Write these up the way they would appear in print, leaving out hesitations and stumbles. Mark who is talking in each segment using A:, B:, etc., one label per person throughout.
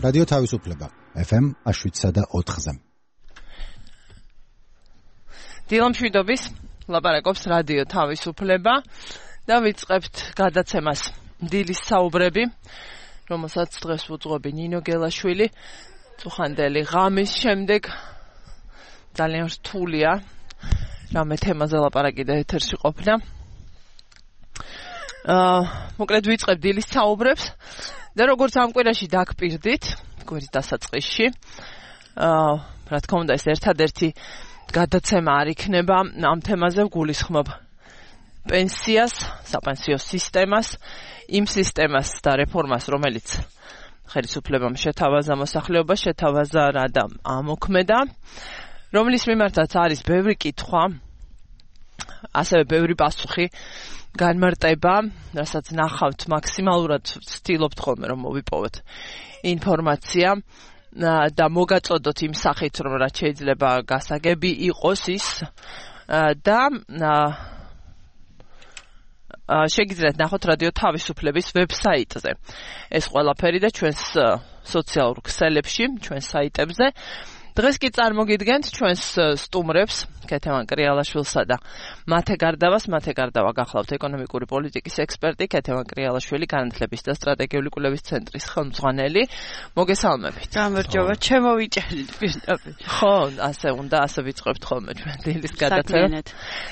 A: რადიო თავისუფლება FM 7.4-ზე.
B: დილამშვიდობის ლაპარაკობს რადიო თავისუფლება და ვიწყებთ გადაცემას დილის საუბრები, რომელსაც დღეს უძღვები ნინო გელაშვილი. წუხანდელი ღამის შემდეგ ძალიან რთულია რამე თემაზე ლაპარაკი და ეთერში ყოფნა. მოკლედ ვიწყებ დილის საუბრებს და როგორც ამ კვირაში დაგპირდით, კვირის დასაწყისში, რა თქმა უნდა ეს ერთადერთი გადაცემა არ იქნება ამ თემაზე ვგულისხმობ პენსიას, საპენსიო სისტემას, იმ სისტემას და რეფორმას, რომელიც ხელისუფლებამ შეთავაზა მოსახლეობას, შეთავაზა და ამოქმედა, რომლის მიმართაც არის ბევრი კითხვა, ასევე ბევრი პასუხი განმარტება, რასაც ნახავთ მაქსიმალურად ვცდილობთ ხოლმე რომ მოვიპოვოთ ინფორმაცია და მოგაწოდოთ იმ სახით, რომ რაც შეიძლება გასაგები იყოს ის და შეგიძლიათ ნახოთ რადიო თავისუფლების ვებსაიტზე ეს ყველაფერი და ჩვენს სოციალურ ქსელებში, ჩვენს საიტებზე. დღეს კი წარმოგიდგენთ ჩვენს სტუმრებს, ქეთევან კრიალაშვილსა და მათე გარდავა გახლავთ ეკონომიკური პოლიტიკის ექსპერტი, ქეთევან კრიალაშვილი, განათლების და სტრატეგიული კვლევის ცენტრის ხელმძღვანელი. მოგესალმებით.
C: გამარჯობა, ჩემოვიჭერით პირდაპირ.
B: ხო, ასე უნდა, ასე ვიწყებთ ხოლმე ჩვენ დილის გადაცემა.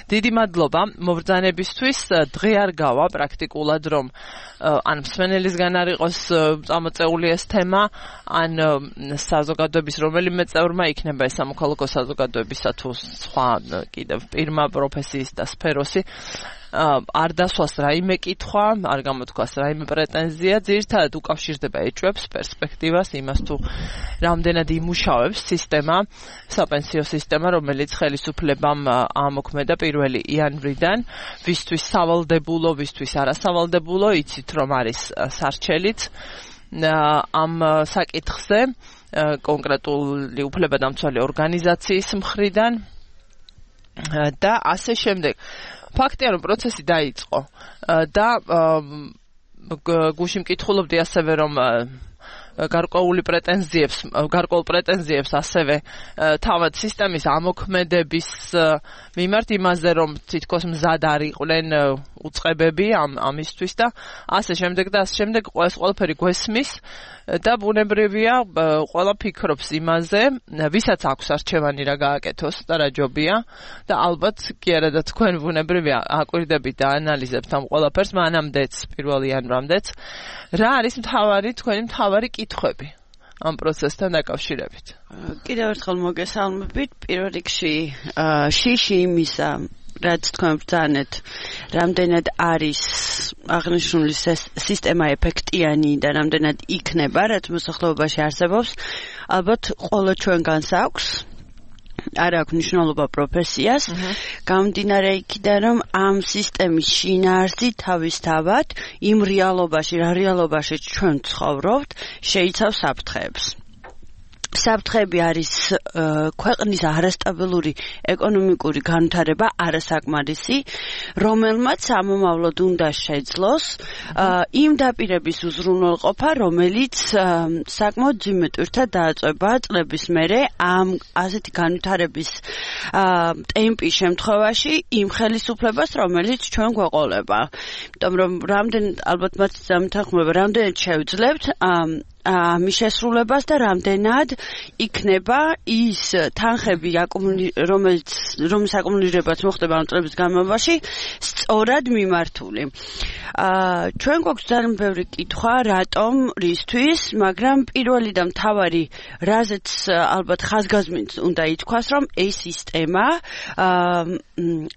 B: დიდი მადლობა მობრძანებისთვის. დღე არ გავა პრაქტიკულად, რომ ან მსმენელისგან არ იყოს წამოწეული ეს თემა, ან საზოგადოების რომელიმე წევრმა იქნება ეს სამოქალაქო საზოგადოებისა თუ სხვა კიდევ პირმა პროფესიის და სფეროსი არ დასვას რაიმე კითხვა, არ გამოთქვას რაიმე პრეტენზია, ძირითადად უკავშირდება ეჭვებს, პერსპექტივას, იმას თუ რამდენად იმუშავებს სისტემა, საპენსიო სისტემა, რომელიც ხელისუფლებამ ამოქმედა 1 იანვრიდან, ვისთვის სავალდებულო, ვისთვის არასავალდებულო, იცით რომ არის სარჩელით ამ საკითხზე კონკრეტული უფლებადამცველი ორგანიზაციის მხრიდან და ასე შემდეგ. ფაქტია, რომ პროცესი დაიწყო და გუშინ მკითხულობდი ასევე, რომ გარკვეულ პრეტენზიებს ასევე თავად სისტემის ამოქმედების მიმართ იმაზე, რომ თითქოს მზად არ იყვნენ უწყებები ამისთვის და ასე შემდეგ ეს ყველაფერი გვესმის და ბუნებრივია ყველა ფიქრობს იმაზე, ვისაც აქვს არჩევანი რა გააკეთოს და რა ჯობია და ალბათ კი არა და თქვენ ბუნებრივია აკვირდებით და ანალიზებთ ამ ყველაფერს მანამდეც 1 იანვრამდეც რა არის თქვენი მთავარი კითხვები ამ პროცესთან დაკავშირებით.
C: კიდევ ერთხელ მოგესალმებით. პირველ რიგში შიში იმისა, რაც თქვენ ბრძანეთ, რამდენად არის აღნიშნული სისტემა ეფექტიანი და რამდენად იქნება, რაც მოსახლეობაში არსებობს, ალბათ ყველა ჩვენგანს აქვს. არ აქვს მნიშვნელობა პროფესიას, გამომდინარე იქიდან, რომ ამ სისტემის შინაარსი თავისთავად იმ რეალობაში ჩვენ ცხოვრობთ, შეიცავს საფრთხეებს. საფრთხეები არის ქვეყნის არასტაბილური ეკონომიკური განვითარება, არასაკმარისი, რომელმაც ამომავლად უნდა შეძლოს იმ დაპირების უზრუნველყოფა, რომელიც საკმაოდ ძიმედ ვირთად დააწვება წლების მერე ამ ასეთი განვითარების ტემპის შემთხვევაში იმ ხელისუფლებას, რომელიც ჩვენ გვეყოლება. იმიტომ რომ ალბათ მათ დამთანხმება, რამდენად შევძლებთ ამის შესრულებას და რამდენად იქნება ის თანხები, რომლის აკუმულირებაც მოხდება ამ წლების განმავლობაში, სწორად მიმართული. ჩვენ გვაქვს ძალიან ბევრი კითხვა, რატომ, რისთვის, მაგრამ პირველი და მთავარი, რაზეც ალბათ ხაზგასმით უნდა ითქვას, რომ ეს სისტემა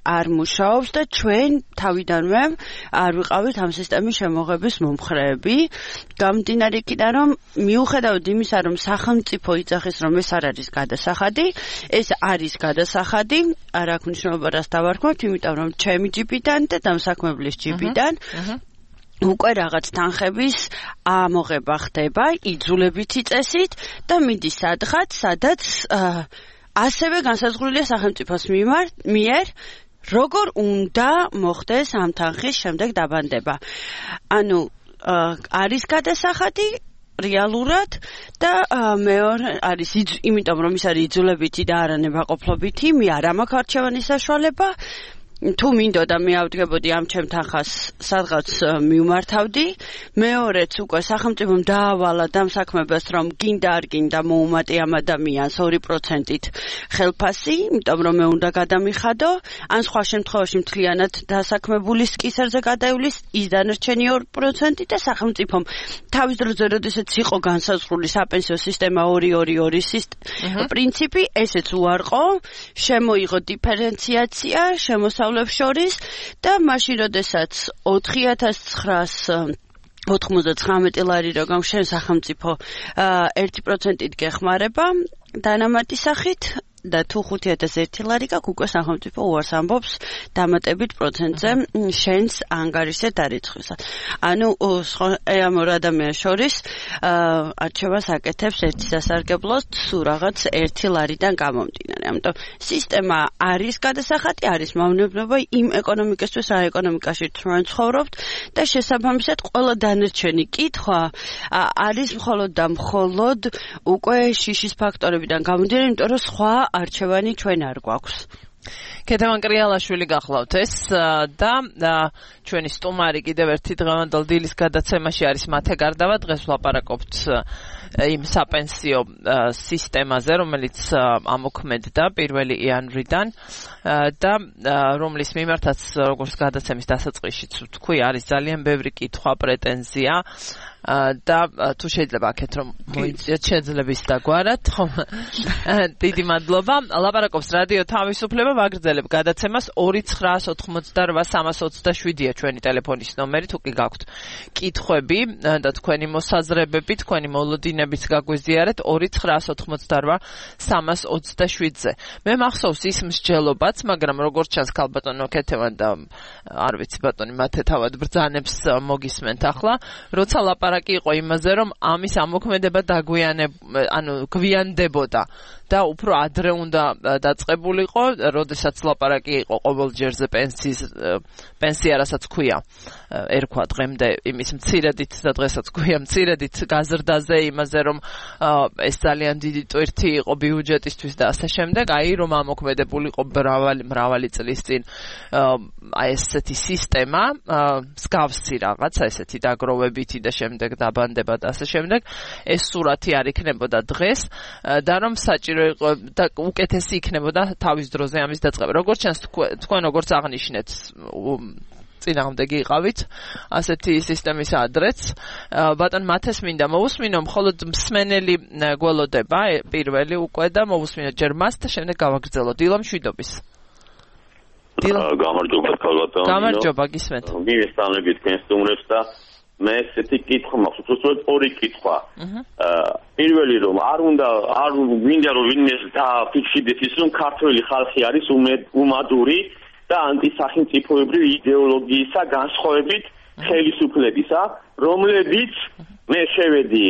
C: არ მუშაობს და ჩვენ თავიდანვე არ ვიყავით ამ სისტემის შემოღების მომხრეები. გამომდინარე იქიდან, რომ მიუხედავად იმისა, რომ სახელმწიფო იძახის, რომ ეს არ არის გადასახადი, ეს არის გადასახადი, არ აქვს მნიშვნელობა რას დავარქმევთ, იმიტომ რომ ჩემი ჯიბიდან და დამსაქმებლის ჯიბიდან უკვე რაღაც თანხების ამოღება ხდება იძულებითი წესით და მიდის სადღაც, სადაც ასევე განსაზღვრულია სახელმწიფოს მიერ როგორ უნდა მოხდეს ამ თანხის შემდეგ დაბანდება. ანუ არის გადასახადი რეალურად და მეორე არის იმიტომ რომ ის არის იძულებითი და არა ნებაყოფლობითი, მე არ მაქვს არჩევანის საშუალება. თუ მინდოდა მე ავდგებოდი ამ ჩემ თანხას სადღაც მივმართავდი. მეორეც უკვე სახელმწიფომ დაავალა დამსაქმებას რომ გინდა არ გინდა მოუმატე ამ ადამიანს 2%-ით ხელფასი, იმიტომ რომ მე უნდა გადამიხადო, ან სხვა შემთხვევაში მთლიანად დასაქმებულის კისერზე გადაივლის ის დანარჩენი 2% და სახელმწიფომ თავის დროზე როდესაც იყო განსაზღვრული საპენსიო სისტემა 2-2-2 პრინციპი, ესეც უარყო, შემოიღო დიფერენციაცია, შორის და მაშინ როდესაც 4,999 ლარი რო გამშენ სახელმწიფო 1%-ით გეხმარება დანამატი სახით და თუ 5,001 ლარი გაქვს უკვე სახელმწიფო უარს ამბობს დამატებით პროცენტზე შენს ანგარიშზე დარიცხვისა. ანუ ამ ორ ადამიანს შორის არჩევას აკეთებს ერთი სასარგებლოს თუ რაღაც 1 ლარიდან გამომდინარე. ამიტომ სისტემა არის გადასახადი, არის მავნებობა იმ ეკონომიკისთვის, რა ეკონომიკაში ჩვენ ცხოვრობთ და შესაბამისად ყველა დანარჩენი კითხვა არის მხოლოდ და მხოლოდ უკვე შიშის ფაქტორებიდან გამომდინარე, იმიტომ რომ სხვა არჩევანი ჩვენ არ გვაქვს.
B: ქეთევან კრიალაშვილი გახლავთ ეს და ჩვენი სტუმარი კიდევ ერთი დღევანდელ დილის გადაცემაში არის მათე გარდავა. დღეს ვლაპარაკობთ იმ საპენსიო სისტემაზე, რომელიც ამოქმედდა 1 იანვრიდან და რომლის მიმართაც როგორც გადაცემის დასაწყისშიც თქვი, არის ძალიან ბევრი კითხვა, პრეტენზია და თუ შეიძლება აქეთ რომ მოიწიოთ შეძლების დაგვარად, ხომ? დიდი მადლობა. ლაპარაკობს რადიო თავისუფლება, ვაგრძელებ გადაცემას 2988327-ია ჩვენი ტელეფონის ნომერი, თუ კი გაქვთ კითხვები და თქვენი მოსაზრებები, თქვენი მოლოდინებიც გაგვიზიარეთ 2988327-ზე. მე მახსოვს ის მსჯელობაც, მაგრამ როგორც ჩანს ქალბატონო ქეთევან და არ ვიცი ბატონი მათე თავად ბრძანებს მოგისმენთ ახლა, როცა ლაპარაკი იყო იმაზე, რომ ამის ამოქმედება გვიანდებოდა და უფრო ადრე უნდა დაწყებულიყო, როდესაც ლაპარაკი იყო ყოველჯერზე პენსია, რასაც ქვია, ერქვა დღემდე იმის მცირედით და დღესაც ქვია მცირედით გაზრდაზე, იმაზე რომ ეს ძალიან დიდი ტვირთი იყო ბიუჯეტისთვის და ასე შემდეგ, აი რომ ამოქმედებულიყო მრავალი წლის წინ ესეთი სისტემა, მსგავსი რაღაცა, ესეთი დაგროვებითი და შემდეგ დაბანდება და ასე შემდეგ, ეს სურათი არ იქნებოდა დღეს და რომ საჭირო იყო და უკეთესი იქნებოდა თავის დროზე ამის დაწყება. როგორც ჩანს თქვენ როგორც აღნიშნეთ, წინააღმდეგი იყავით ასეთი სისტემის ადრეც. ბატონ მათეს მინდა მოусმინო, მხოლოდ მსმენელი გველოდება პირველი უკვე და მოусმინო ჯერ მას და შემდეგ გავაგრძელოთ. დილა მშვიდობის.
D: გამარჯობა ქალბატონო.
B: გამარჯობა, გისმენთ.
D: მივესალმებით თქვენ სტუმრებს და მე ესეთი კითხვა მაქვს, უბრალოდ ორი კითხვა. პირველი რომ არ მინდა რომ ვინმე დაფიქსირდეს ის რომ ქართველი ხალხი არის უმადური და ანტისახელმწიფოებრივი იდეოლოგიისა განსხვავებით ხელისუფლებისა, რომლებიც მე შევედი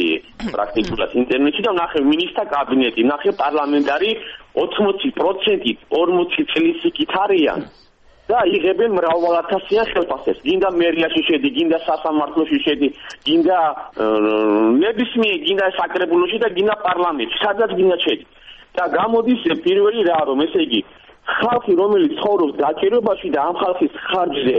D: პრაქტიკულად ინტერნეტში და ვნახე მინისტრთა კაბინეტი, ვნახე პარლამენტარი 80%-ით 40 წლის იქით არიან. და იღებენ მრავალათასიან ხელფასებს. გინდა მერიაში შედი, გინდა სასამართლოში შედი, გინდა ნებისმიერ, გინდა საკრებულოში და გინდა პარლამენტში, სადაც გინდა შედი. და გამოდის პირველი რა რომ ესე იგი ხალხი რომელიც ცხოვრობს დაჭირებაში და ამ ხალხის ხარჯზე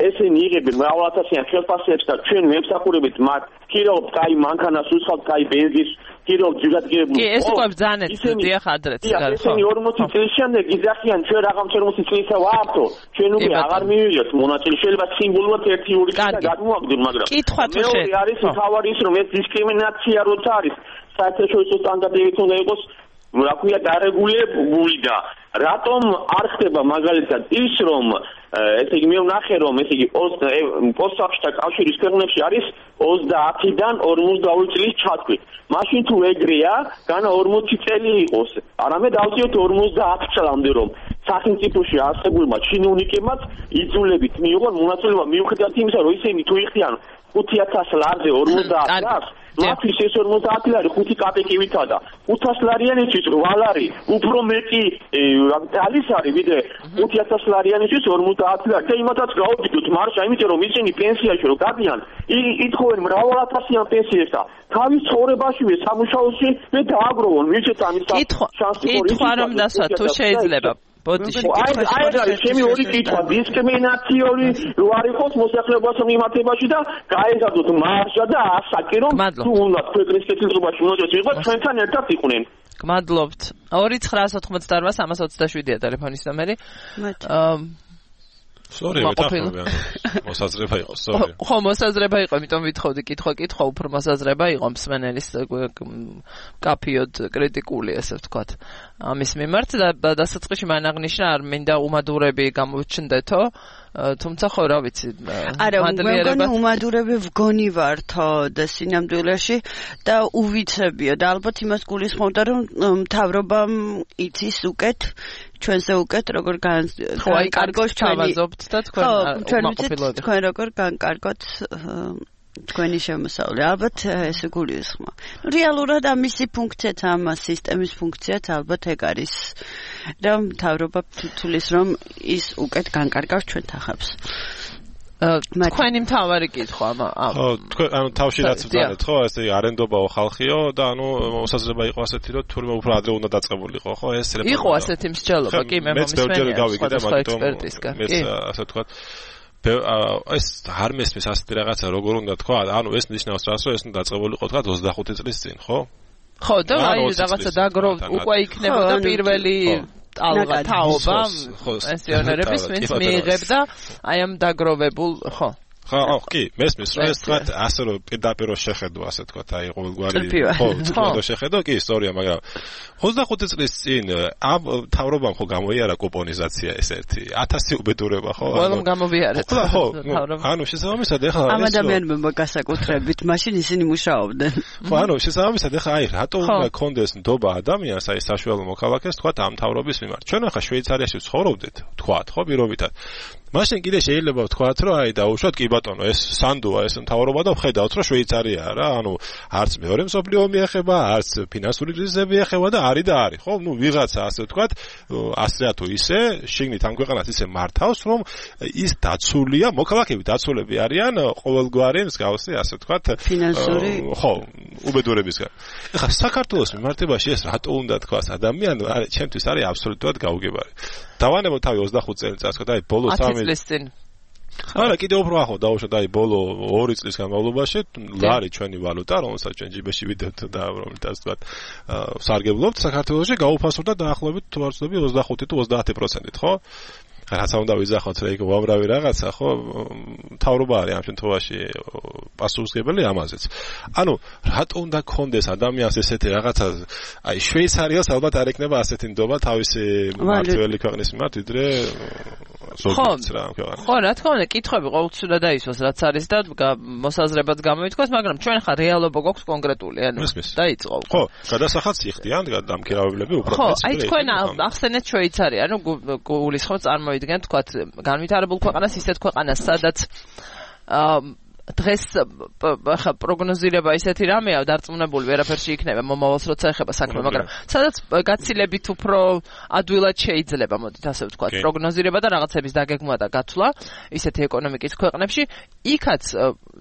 D: ესენი იღებენ მრავალათასიან ხელფასებს და ჩვენ მემსახურებით მათ ქირაობთ კაი მანქანას უსხავთ, კაი ბენზინს ქირაობთ ჯიგადგირებული.
B: კი, ეს უკვე ბრძანებს დიახ ადრეც.
D: ესენი 40 წლის შემდეგ იძახიან ჩვენ რაღაც 40 წლისა ვართ, ჩვენ უკვე აღარ მივიღეთ მონაწილე, შეიძლება სიმბოლურად 1-2 წელი გადმოვაგდოთ, მაგრამ მეორე არის თავარი ის რომ ეს დისკრიმინაცია როცა არის საერთაშორისო სტანდარტებით უნდა იყოს რა ქვია დარეგულირებული და რატომ არ ხდება მაგალითად ის რომ ესე იგი მე ვნახე რომ ესე იგი პოსტსაბჭოთა კავშირის ქვეყნებში არის 30-დან 42 წლის ჩათვლით. მაშინ თუ ეგრეა, განა 40 წელი იყოს. არამედ ავწიოთ 50 წლამდე რომ სახელმწიფოში არსებულმა ჩინოვნიკებმაც იძულებით მიიღონ მონაწილეობა მიუხედავად იმისა, რომ ისინი თუ იხდიან 5,000 ლარზე 50 ლარს მათთვის ეს 50 ლარი 5 კაპიკივითა და 500 ლარიანისთვის 8 ლარი უფრო მეტი ძალის არის ვიდრე 5,000 ლარიანისთვის 50 ლარი და იმათაც გავაბიდოთ დადოთ მარშა, იმიტომ რომ ისინი პენსიაში რო გადიან, ითხოვენ მრავალათასიან პენსიებს და თავის ცხოვრებაშივე სამუშაოში მე დააგროვონ, ვიცით ამის შანსი
B: კითხვა რომ დასვა თუ შეიძლება ბოდიში
D: აი ჩემი ორი კითხვა დისკრიმინაციული რო არ იყოს მოსახლეობას მიმართებაში და გაეზადოთ მარშა და ასაკი რომ თუ უნდა ქვეყნის კეთილდღეობაში მონაწილე იყოს ჩვენთან ერთად იყვნენ.
B: გმადლობთ. 2988327-ია ტელეფონის ნომერი.
E: სორი, მოსაზრება იყო, სორი.
B: ხო, მოსაზრება იყო, იმიტომ ვითხოვდი კითხვა უფრო მოსაზრება იყო მსმენელის კაფიოდ კრიტიკული, ესე ვთქვათ. ამის მიმართ და დასაწყისში მან აღნიშნა არ მინდა უმადურები გამოჩნდეთო, თუმცა ხო რა ვიცი,
C: მადლიერება უმადურები ვგონი ვართო და სინამდვილეში და უვიცებიო და ალბათ იმას გულისხმობდა რომ მთავრობამ იცის უკეთ ჩვენზე უკეთ როგორ განკარგოს
B: ჩავაზობთ და თქვენ
C: უმაყოფილოდი თქვენ როგორ განკარგოთ თქვენი შემოსავლე ალბათ ესე გულისხმა. რეალურად ამისი ფუნქციაც ამ სისტემის ფუნქციაც ალბათ ეგ არის რომ მთავრობა თulis რომ ის უკეთ განკარგავს ჩვენ თახებს.
B: თქვენი მთავარი კითხვა
E: ხო თქვენ ანუ თავში რაც ვძანეთ ხო ესე არენდობაო ხალხიო და ანუ მოსაზრება იყო ასეთი რომ თურმე უფრო ადრე უნდა დაწყებულიყო ხო ეს
B: იყო ასეთი მსჯელობა კი მე მომისმენია
E: მეც ასე ვთქვათ ეს არ მესმის ასეთი რაღაცა როგორ უნდა თქვა ანუ ეს ნიშნავს რას რომ ეს უნდა დაწყებულიყო თქვა 25 წლის წინ ხო
B: ხო და აი რაღაცა დაგროვ უკვე იქნებოდა პირველი ალღა თაობა პენსიონერების ვინც მიიღებდა აი ამ დაგროვებულ ხო
E: ხო კი მესმის რომ ეს თქვა ასე რომ პირდაპირ შეხედო ასე თქვა აი ყოველგვარი ხო თქო შეხედო კი ისტორია მაგრამ 25 წლის წინ ამ თავრობამ ხო გამოიარა კუპონიზაცია ეს ერთი 1000 უბედურება ხო
B: ყველამ გამოვიარეთ
E: ხო ანუ შესაბამისად ეხლა
C: ამ ადამიანებმა გასაკუთრებით მაშინ ისინი მუშაობდნენ
E: ხო ანუ შესაბამისად ეხლა აი რატო უნდა კონდეს ნდობა ადამიანს აი საშუალო მოქალაქეს თქვა ამ თავრობის მიმართ ჩვენ ახლა შვეიცარიაში ვცხოვრობდით თქვა ხო პირობითად მაშინ კიდე შეიძლება ვთქვათ რომ აი დაუშვათ კი ბატონო ეს სანდოა ეს მთავრობა და ვხედავთ რომ შვეიცარიაა რა ანუ არც მეორე მსოფლიო მიეხება არც ფინანსური კრიზისები ეხება და არის და არის ხო ნუ ვიღაცა ასე ვთქვათ ასე თუ ისე შიგნით ამ ქვეყანას ისე მართავს რომ ის დაცულია მოქალაქეები დაცულები არიან ყოველგვარი მსგავსი ასე ვთქვათ
C: ფინანსური
E: ხო უბედურებისგან ეხლა საქართველოს მიმართებაში ეს რატო უნდა თქვას ადამიანი არის ჩემთვის არის აბსოლუტურად გაუგებარი დავანებო თავი 25 წელიწადს და აი ბოლო 3
B: წლის წინ
E: არა კიდე უფრო ახლა დავუშვათ აი ბოლო 2 წლის განმავლობაში ლარი ჩვენი ვალუტა რომელსაც ჩვენ ჯიბეში ვიდევთ და რომელსაც თქვა სარგებლობთ საქართველოში გაუფასურდა დაახლოებით თუ არ ვცდები 25 თუ 30%-ით ხო რაცა უნდა ვიზახოთ რა იქ უამრავი რაღაცა ხო თავრობა არის ამ შემთხვევაში პასუხისმგებელი ამაზეც ანუ რატო უნდა კონდეს ადამიანს ესეთი რაღაცა აი შვეიცარიას ალბათ არ ეკნება ასეთი ნდობა თავისი მმართველი ქვეყნის მიმართ ვიდრე
B: ხო რა თქმა უნდა კითხვები ყოველწლიურად დაისვას რაც არის და მოსაზრებაც გამოითქვას მაგრამ ჩვენ ხა რეალობა გვაქვს კონკრეტული ანუ დაიწყო
E: ხო გადასახადს იხდიან დამქირავებლები უფრო
B: ხო აი თქვენ ახსენეთ შვეიცარია ანუ გულისხმობ წარმოიდგენთ თქვათ განვითარებულ ქვეყანას ისეთ ქვეყანას სადაც დღეს ხა პროგნოზირება ისეთი რამეა დარწმუნებული ვერაფერში იქნება მომავალს როცა ეხება საქმე მაგრამ სადაც გაცილებით უფრო ადვილად შეიძლება მოდით ასე ვთქვათ პროგნოზირება და რაღაცების დაგეგმვა და გათვლა ისეთი ეკონომიკის ქვეყნებში იქაც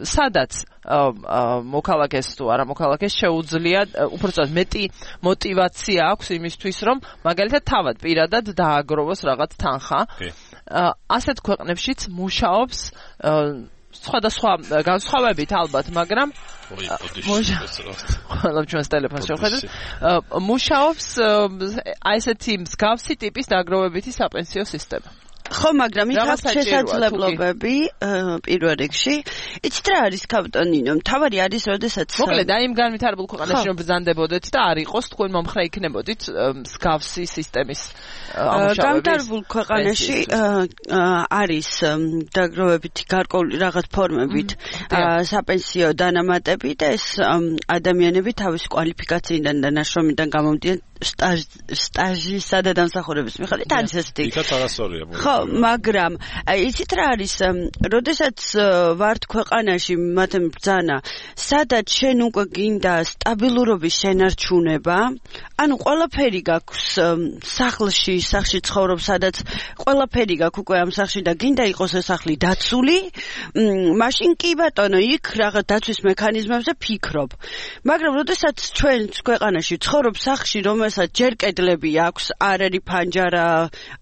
B: სადაც მოქალაქეს თუ არა მოქალაქეს შეუძლია უბრალოდ მეტი мотиваცია აქვს იმისთვის რომ მაგალითად თავად პირადად დააგროვოს რაღაც თანხა ასეთ ქვეყნებშიც მუშაობს სხვადასხვა განსხვავებით ალბათ, მაგრამ ჩვენს ტელეფონს შევხედეთ. მუშაობს აი ესეთი მსგავსი ტიპის დაგროვებითი საპენსიო სისტემა.
C: ხო, მაგრამ იქ აქვს შესაძლებლობები პირველ რიგში. იცით რა არის კაპიტანინო? თავარი არის, როდესაც
B: მოკლედ აი იმ განვითარებულ ქვეყანაში რომ ბრძანდებოდეთ და არ იყოს თქვენ მომხრე იქნებოდით მსგავსი სისტემის ამუშავების.
C: განვითარებულ ქვეყანაში არის დაგროვებითი გარკვეული რაღაც ფორმებით საპენსიო დანამატები და ეს ადამიანები თავის კვალიფიკაციიდან და ნაშრომიდან გამომდინარე სტაჟისა და დამსახურების მიხედვით არის ესეთი.
E: იქაც არასწორია.
C: ხო, მაგრამ იცით რა არის, როდესაც ვართ ქვეყანაში მათემ ბრძანა, სადაც შენ უკვე გინდა სტაბილურობის შენარჩუნება, ანუ ყველაფერი გაქვს სახლში ცხოვრობ, სადაც ყველაფერი გაქვს უკვე ამ სახლში და გინდა იყოს ეს სახლი დაცული, მაშინ კი ბატონო, იქ რაღაც დაცვის მექანიზმებზე ფიქრობ. მაგრამ როდესაც ჩვენ ქვეყანაში ცხოვრობ სახლში, რომელსაც ჯერ კედლები აქვს, არ არის ფანჯარა,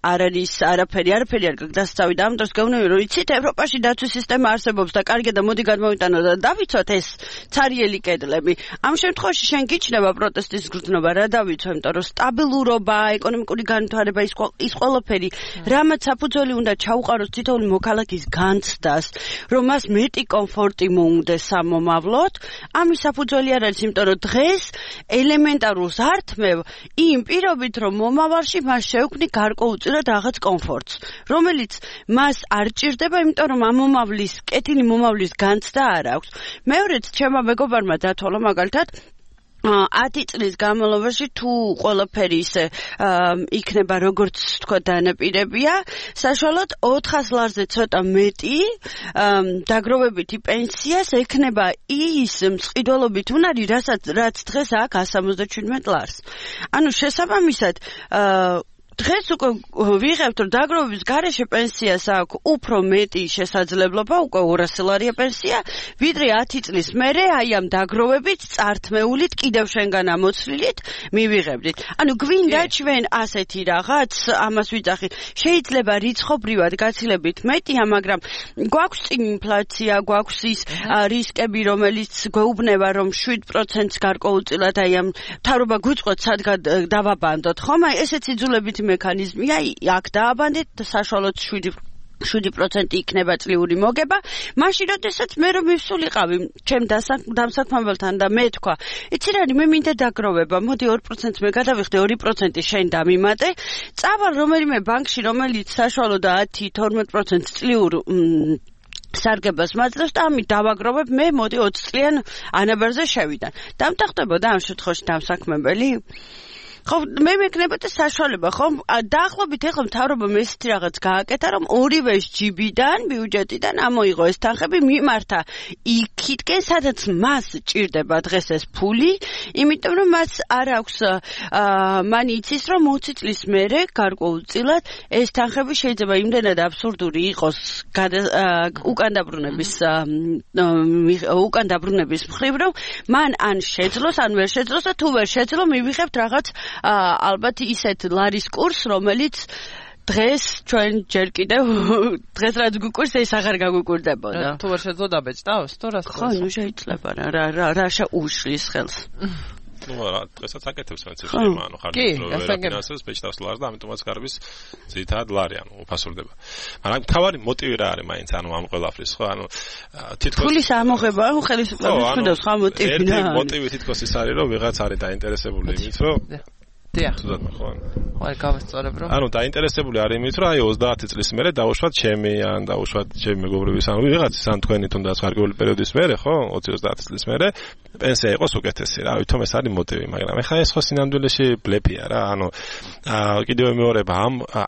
C: არ არის არაფერი არ გაგდასწავი და ამ დროს გეუბნები რომ იცით ევროპაში დაცვის სისტემა არსებობს და კარგია და მოდი გადმოვიტანოთ და დავიცვათ ეს ცარიელი კედლები. ამ შემთხვევაში შენ გიჩნდება პროტესტის გრძნობა რა დავიცვა, იმიტომ რომ სტაბილურობა, ეკონომიკური განვითარება ის ყველაფერი რამაც საფუძველი უნდა ჩაუყაროს თითოეული მოქალაქის განცდას, რომ მას მეტი კომფორტი მოუნდეს სამომავლოდ, ამის საფუძველი არ არის, იმიტომ რომ დღეს ელემენტარულ ზართმევ იმ პირობით რომ მომავალში მას შეუქმნი გარკვეულწილად რაღაც კომფორტს, რომელიც მას არ ჭირდება, იმიტომ რომ ამ მომავლის, კეთილი მომავლის განცდა არ აქვს. მეორეც ჩემმა მეგობარმა დათვალა მაგალითად 10 წლის განმავლობაში თუ ყველაფერი ისე იქნება როგორც თქვა დანაპირებია, საშუალოდ 400 ლარზე ცოტა მეტი დაგროვებითი პენსიას ექნება ის მწყიდველობით უნარი, რაც დღეს აქვს 177 ლარს. ანუ შესაბამისად დღეს უკვე ვიღებთ რომ დაგროვების გარეშე პენსიას აქვს უფრო მეტი შესაძლებლობა, უკვე 200 ლარია პენსია, ვიდრე 10 წლის მერე აი ამ დაგროვებით წართმეულით კიდევ შენგან ამოცლილით მივიღებდით. ანუ გვინდა ჩვენ ასეთი რაღაც, ამას ვიძახით. შეიძლება რიცხობრივად გაცილებით მეტია, მაგრამ გვაქვს წინ ინფლაცია, გვაქვს ის რისკები, რომელიც გვეუბნება რომ 7%-ს გარკვეულწილად აი ამ მთავრობა გვიწყოთ სადგან დავაბანდოთ, ხომ? აი ესეც იძულებით მექანიზმია, აქ დააბანდეთ საშუალოდ 7% იქნება წლიური მოგება, მაშინ როდესაც მე რომ მივსულიყავი ჩემ დამსაქმებელთან და მე თქვა, იცი რა, მე მინდა დაგროვება, მოდი 2% მე გადავიხდე, 2% შენ დამიმატე, წავალ რომელიმე ბანკში, რომელიც საშუალოდ 10-12% წლიურ სარგებას მაძლევს და ამით დავაგროვებ, მე მოდი 20 წლიან ანაბარზე შევიდან. დამტახტებოდა ამ შემთხვევაში დამსაქმებელი? ხო, მე მეკნებოდა საშუალება, ხო? დაახლოებით ეხლა მთავრობამ ესეთი რაღაც გააკეთა, რომ ორივე ჯიბიდან, ბიუჯეტიდან ამოიღო ეს თანხები, მიმართა იქითკენ, სადაც მას ჭირდება დღეს ეს ფული, იმიტომ რომ მას არ აქვს მან იცის, რომ 20 წლის მერე გარკვეულწილად ეს თანხები შეიძლება იმდენად აბსურდული იყოს უკან დაბრუნების მხრივ, რომ მან ან შეძლოს, ან ვერ შეძლოს და თუ ვერ შეძლო, მივიღებთ რაღაც ალბათ ისეთ ლარის კურს, რომელიც დღეს ჩვენ ჯერ კიდევ დღეს რაც გვიკურს, ეს აღარ გაგვიკურდებოდა.
B: თუ ვერ შეძლო დაბეჭდავს, თუ რას?
C: ხო, ნუ შეიძლება რა უშლის ხელს.
E: ну რა დღესაც აკეთებს მეც შეიძლება ანუ ხარჯის რო ვერაფინანსებს ბეჭდავს ლარს და ამიტომაც გარბის ძირითადად ლარი ანუ უფასურდება. მაგრამ თავარი მოტივი რა არის მაინც ანუ ამ ყველაფრის ხო ანუ თითქოს
C: ფულის ამოღება ხო ხელისუფლების ხედავს ხო მოტივი რა.
E: ერთი მოტივი თითქოს ის არის რომ ვიღაც არის დაინტერესებული იმით რომ
B: დიახ.
E: თუდად ხო
B: აი გავასწორებ რომ
E: ანუ დაინტერესებული არის იმით რომ აი 30 წლის მერე დავუშვათ ჩემი ან დავუშვათ ჩემი მეგობრივის ანუ ვიღაცის ან თქვენი თუნდაც გარკვეული პერიოდის მერე ხო 20-30 წლის მერე პენსია იყოს უკეთესი რა ვითომ ეს არის მოტივი მაგრამ ეხლა ეს ხო სინამდვილეში ბლეფია რა ანუ კიდევ მეორება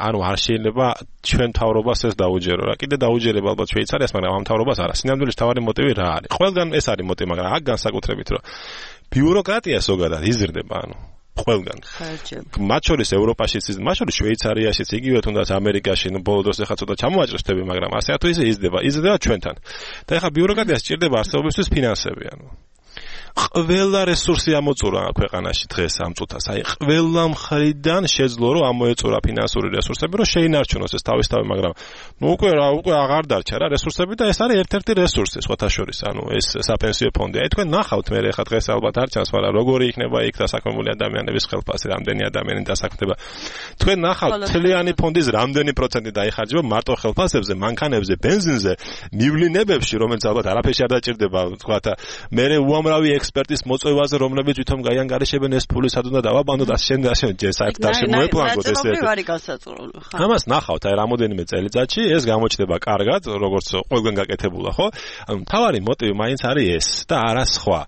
E: ანუ არ შეიძლება ჩვენ თავრობას ეს დაუჯერო რა კიდე დაუჯერება ალბათ შვეიცარიას მაგრამ ამ თავრობას არა სინამდვილეში თავარი მოტივი რა არის ყველგან ეს არის მოტივი მაგრამ აქ განსაკუთრებით რომ ბიუროკრატია ზოგადად იზრდება ანუ ყველგან. მათ შორის ევროპაშიც, მათ შორის შვეიცარიაშიც, იგივე თუნდაც ამერიკაში, ნუ ბოლო დროს ახლა ცოტა ჩამოაჭრესდები, მაგრამ ასე თუ ისე იზრდება ჩვენთან. და ახლა ბიუროკრატიას სჭირდება არსებობისთვის ფინანსები, ანუ ყველა რესურსი ამოწურა ქვეყანაში დღეს ამ წუთას. აი ყველა მხრიდან შეძლო რომ ამოეწურა ფინანსური რესურსები, რომ შეინარჩუნოს ეს თავისთავად, მაგრამ ნუ უკვე აღარ დარჩა რა რესურსები და ეს არის ერთ-ერთი რესურსი სხვათა შორის, ანუ ეს საპენსიო ფონდი. აი თქვენ ნახავთ მე ხა დღეს ალბათ არ ჩანს, მაგრამ როგორი იქნება იქ დასაქმებული ადამიანების ხელფასი, რამდენი ადამიანი დასაქმდება. თქვენ ნახავთ თლიანი ფონდის რამდენი პროცენტი დაიხარჯება მარტო ხელფასებზე, მანქანებზე, ბენზინზე, მივლინებებში, რომელიც ალბათ არაფერში არ დაჭირდება, თქვა და მე უამრავი ექსპერტის მოწვევაზე, რომლებიც თვითონ გაიანგარიშებენ ეს ფული სად უნდა დავაბანდოთ, შენ საერთოდ მოეპლანგოთ ეს. ამას ნახავთ, აი რამოდენიმე წელიწადში ეს გამოჩნდება კარგად, როგორც ყველგან გაკეთებულა, ხო? ანუ მთავარი მოტივი მაინც არის ეს და არა სხვა.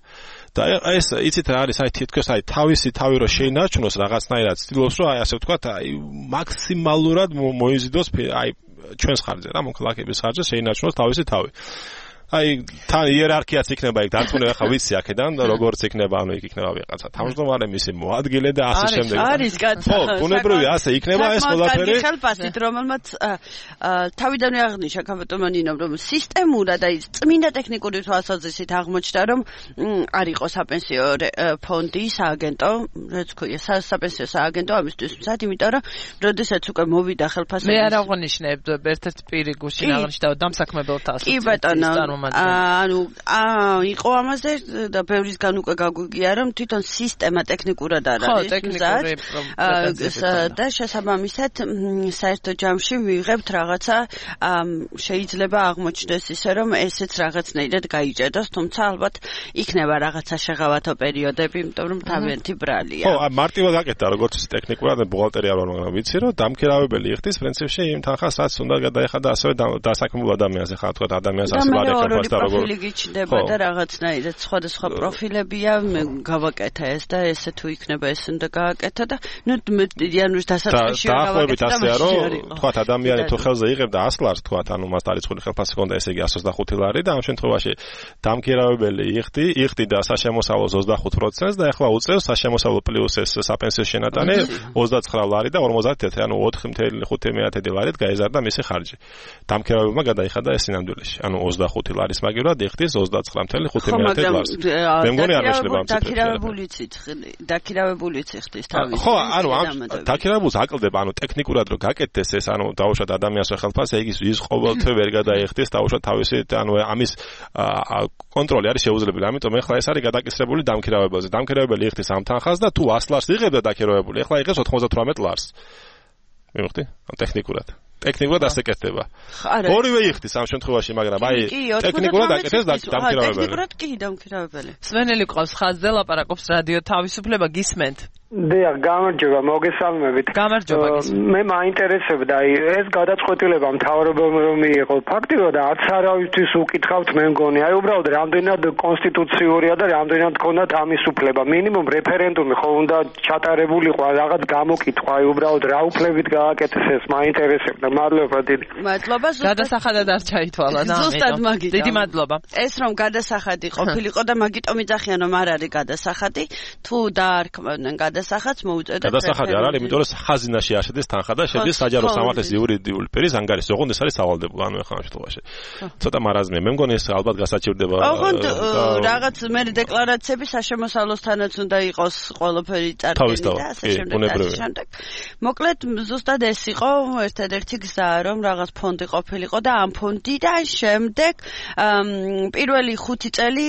E: და ეს იცით რა არის, აი თითქოს აი თავისი თავი რო შეინარჩუნოს რაღაცნაირად ცდილობს რომ აი ასე ვთქვათ, აი მაქსიმალურად მოიზიდოს აი ჩვენს ხარჯზე რა, მოქალაქეების ხარჯზე შეინარჩუნოს თავისი თავი. აი თან იერარქიაც იქნება იქ დარწმუნებული ხა ვიცი აქედან როგორც იქნება ანუ იქ იქნება ვიღაცა თავმჯდომარე მისი მოადგილე და ასე შემდეგ
C: არის კაცო
E: ხო ბუნებრივი ასე იქნება ეს ყველაფერი
C: ხელფასით რომელმაც თავიდანვე აღნიშნა კაპიტანი ნინომ რომ სისტემურად აი წმინდა ტექნიკური თვალსაზრისით აღმოჩნდა რომ არ იყო საპენსიო ფონდი სააგენტო რაც ქვია საპენსიო სააგენტო ამისთვის მზად იმიტომ რომ როდესაც უკვე მოვიდა ხელფასები
B: მე არ აღნიშნებ ერთ-ერთ პირი გუშინ აღნიშნა დამსაქმებელთა
C: კი ბატონო ანუ იყო ამაზე და ბევრისგან უკვე გაგვიგია რომ თვითონ სისტემა ტექნიკურად არ არის და შესაბამისად საერთო ჯამში ვიღებთ რაღაცა შეიძლება აღმოჩნდეს ისე რომ ესეც რაღაცნაირად გაიჭედოს თუმცა ალბათ იქნება რაღაცა შეღავათო პერიოდები იმიტომ რომ თავიანთი ბრალია
E: ხო მარტივად გაკეთდა როგორც ტექნიკურად ბუღალტერი არ ვარ მაგრამ ვიცი რომ დამქირავებელი იხდის პრინციპში იმ თანხას რაც უნდა გადაეხადა ასევე დასაქმებულ ადამიანს ახლა თქვა ადამიანს ასე ვარეკავს და როგორ
C: გიჩნდება და რაღაცნაირად სხვადასხვა პროფილებია მე გავაკეთე ეს და ესე თუ იქნება ეს უნდა გააკეთო და ნუ იანურის დასაწყისში
E: გავაკეთე და ასე რომ თქვა ადამიანი თუ ხელზე იღებდა 100 ლარს თქვა ანუ მას დარიცხული ხელფასი ჰქონდა ესე იგი 125 ლარი და ამ შემთხვევაში დამქირავებელი იხდი და საშემოსავლოს 25% და ახლა უწევს საშემოსავლო პლუს ეს საპენსიო შენატანი 29 ლარი და 51 ანუ 4.5 ლარით გაეზარდა მისი ხარჯი დამქირავებელმა გადაიხადა ეს სინამდვილეში ანუ 25 ლარის მაგივრად იხდის 29.5 ლარს მე მგონი არ მეშლება ამ
C: დაქირავებულიც იხდის თავის
E: ხო ანუ ამ დაქირავებულს აკლდება ანუ ტექნიკურად რომ გაკეთდეს ეს ანუ დაუშვათ ადამიანს ხელფასი ის ყოველთვე ვერ გადაიხდის დაუშვათ თავისი ანუ ამის კონტროლი არის შეუძლებელი ამიტომ ეხლა ეს არის გადაკისრებული დამქირავებელზე დამქირავებელი იხდის ამ თანხას და თუ 100 ლარს იღებდა დაქირავებული ეხლა იღებს 98 ლარს მივხვდი ტექნიკურად ასე კეთდება. ორივე იხდის ამ შემთხვევაში, მაგრამ აი ტექნიკურად აკეთეს დამქირავებელი.
C: ტექნიკურად კი დამქირავებელი.
B: სვენელი ყავს ხაზზე ლაპარაკობს რადიო თავისუფლება გისმენთ.
F: დიახ, გამარჯობა, მოგესალმებით.
B: გამარჯობა.
F: მე მაინტერესებდა აი ეს გადაწყვეტილება მთავრობამ რომ მიიღო. ფაქტიურად არც არავისთვის უკითხავთ მე მგონი. აი უბრალოდ რამდენად კონსტიტუციურია და რამდენად ქონდათ ამის უფლება. მინიმუმ რეფერენდუმი ხო უნდა ჩატარებულიყო, რაღაც გამოკითხვა, აი უბრალოდ რა უფლებით გააკეთეს ეს მაინტერესებდა. მადლობა დიდი.
B: მადლობა. გადასახადად არ ჩაითვალა და
C: ზუსტად მაგით.
B: დიდი მადლობა.
C: ეს რომ გადასახადი ყოფილიყო და მაგიტომ იძახიან რომ არ არის გადასახადი, თუ დაარქმევდნენ გადასახადს მოუწოდეთ.
E: გადასახადი არ არის, იმიტომ რომ ხაზინაში არსებობს თანხა და შედის საჯარო სამართლის იურიდიული პირის ანგარიში. ოღონდ ეს არის სავალდებულო, ანუ ახლა ამ შემთხვევაში. ცოტა მარაზმია. მე მგონი ეს ალბათ გასაჩივრდება.
C: ოღონდ რაღაც მე დეკლარაციები საშემოსავლოსთანაც უნდა იყოს ყველაფერი წარდგენილი და ასე შემდეგ. მოკლედ ზუსტად ეს იყო ერთადერთი გზა რომ რაღაც ფონდი ყოფილიყო და ამ ფონდიდან შემდეგ პირველი 5 წელი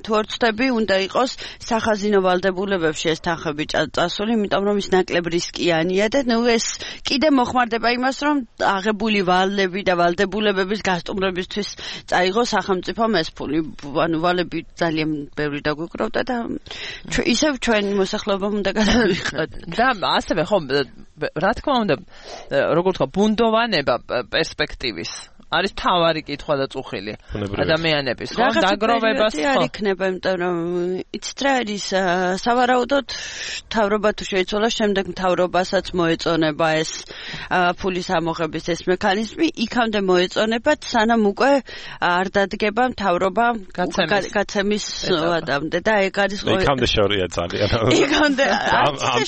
C: თუ არ ვცდები უნდა იყოს სახაზინო ვალდებულებებში ეს თანხები წასული, იმიტომ რომ ის ნაკლებ რისკიანია და ნუ ეს კიდე მოხმარდება იმას რომ აღებული ვალები და ვალდებულებების გასტუმრებისთვის წაიღო სახელმწიფომ ეს ფული, ანუ ვალები ძალიან ბევრი დაგვიკროვდა და ისევ ჩვენ მოსახლეობამ უნდა გადავიხადოთ.
B: და ასევე ხო რა თქმა უნდა როგორ თქვა ბუნდოვანება პერსპექტივის არის თავარი კითხვა და წუხილი ადამიანების ხო დაგროვებას
C: ხო არ იქნება იმიტომ რომ იცით რა არის სავარაუდოდ მთავრობა თუ შეიცვალა შემდეგ მთავრობასაც მოეწონება ეს ფულის ამოღების ეს მექანიზმი იქამდე მოეწონებათ სანამ უკვე არ დადგება მთავრობა გაცემის ვადამდე და ეგ არის
E: იქამდე შორია ძალიან
C: იქამდე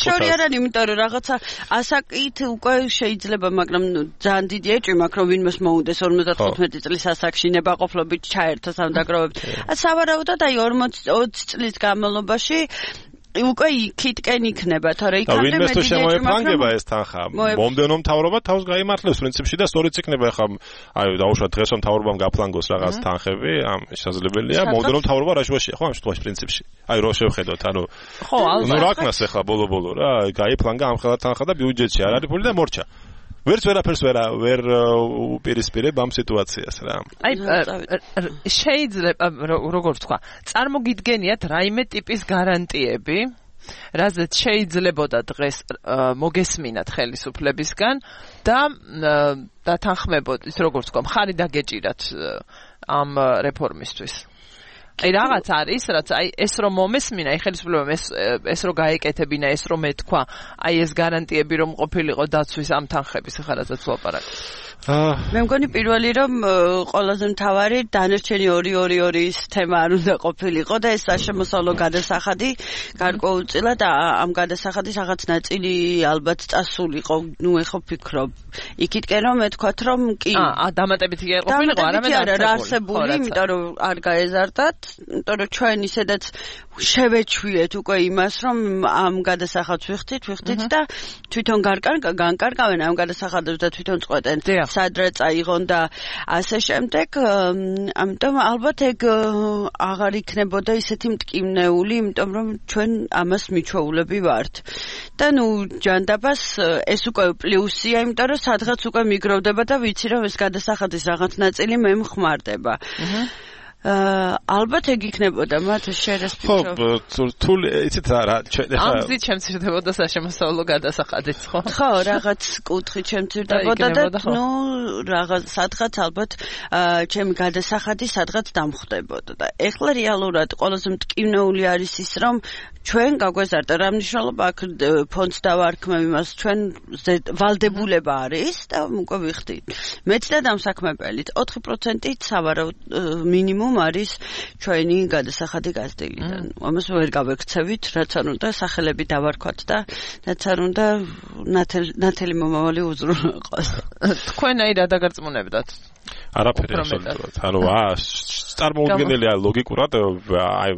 C: შორია არ არის იმიტომ რომ რაღაცა ასაკით უკვე შეიძლება მაგრამ ძალიან დიდი ეჭვი მაქვს რომ ვინმეს მოუნდეს 55 წლის ასაკში ნებაყოფლობით ჩაერთოს ამ დაგროვებით. სავარაუდოდ აი 40 წლის განმავლობაში უკვე იქითკენ იქნება, თორე იქამდე
E: მე დიდი შემოეფრანგება ეს თანხა. მომდენო მთავრობა თავს გაიმართლებს პრინციპში და სწორიც იქნება ახლა აი დაუშვათ დღეს რომ მთავრობამ გაფლანგოს რაღაც თანხები, ამ შესაძლებელია. მომდენო მთავრობა რა შუაშია, ხო ამ შემთხვევაში პრინციპში. აი რო შევხედოთ, ანუ
B: ხო,
E: ნუ რა ქნას ახლა ბოლო რა, გაიფლანგა ამ ხელა თანხა და ბიუჯეტში არ არის ფული და მორჩა. ვერაფერს ვერ უპირისპირებ ამ სიტუაციას რა.
B: აი შეიძლება როგორ ვთქვა, წარმოგიდგენიათ რაიმე ტიპის გარანტიები, რაზეც შეიძლებოდა დღეს მოგესმინათ ხელისუფლებისგან და თანხმებოდ ის როგორ ვთქვა, მხარი დაგეჭირათ ამ რეფორმისთვის. აი რაღაც არის, რაც აი ეს რომ მომესმინა, აი ხელისუფლებამ ეს რომ გაეკეთებინა, ეს რომ ეთქვა, აი ეს გარანტიები რომ ყოფილიყო დაცვის ამ თანხების ხარასაც ვაპარაკ.
C: მე მგონი პირველი რომ ყველაზე მთავარი დანარჩენი 2-2-2-ის თემა არ უნდა ყოფილიყო და ეს საშემოსავლო გადასახადი გარკვეულწილად ამ გადასახადის რაღაც ნაწილი ალბათ წასულიყო. ნუ ეხო ფიქრობ იქითკენ რომ მეთქვათ რომ კი
B: დამატებითი არ ყოფილიყო
C: არა არსებული იმიტომ რომ არ გაეზარდათ იმიტომ რომ ჩვენ ისედაც შევეჩვიეთ უკვე იმას რომ ამ გადასახადს ვიხდით და თვითონ განკარგავენ ამ გადასახადებს და თვითონ წყვეტენ სადღაც აიღონ და ასე შემდეგ ამიტომ ალბათ ეგ აღარ იქნებოდა ისეთი მტკივნეული იმიტომ რომ ჩვენ ამას მიჩვეულები ვართ და ნუ ჯანდაბას ეს უკვე პლუსია იმიტომ რომ სადღაც უკვე მიგროვდება და ვიცი რომ ეს გადასახადის რაღაც ნაწილი მე მხმარდება ალბათ ეგ იქნებოდა მათ შერეს ფიქრობ.
E: ხო, თუ იცით რა,
B: ამ გზით შემცირდებოდა საშემოსავლო გადასახადიც, ხო?
C: ხო, რაღაც კუთხით შემცირდებოდა და ნუ რაღაც სადღაც ალბათ ჩემი გადასახადი სადღაც დამხვდებოდა და ეხლა რეალურად ყველაზე მტკივნეული არის ის რომ ჩვენ გაგვეზარდა რა მნიშვნელობა აქ ფონდს დავარქმევ იმას ჩვენ ვალდებულება არის და უკვე ვიხდით. მეც და დამსაქმებელით 4%-ით სავარაუდ მინიმუმ არის ჩვენი გადასახადი გაზრდილიდან. ამას ვერ გავექცევით, რაც არ უნდა სახელები დავარქვათ და რაც არ უნდა ნათელი მომავალი უზრუნველყოს.
B: თქვენ აი რა დაგარწმუნებდათ?
E: არაფერი აბსოლუტურად. ანუ წარმოუდგენელია ლოგიკურად აი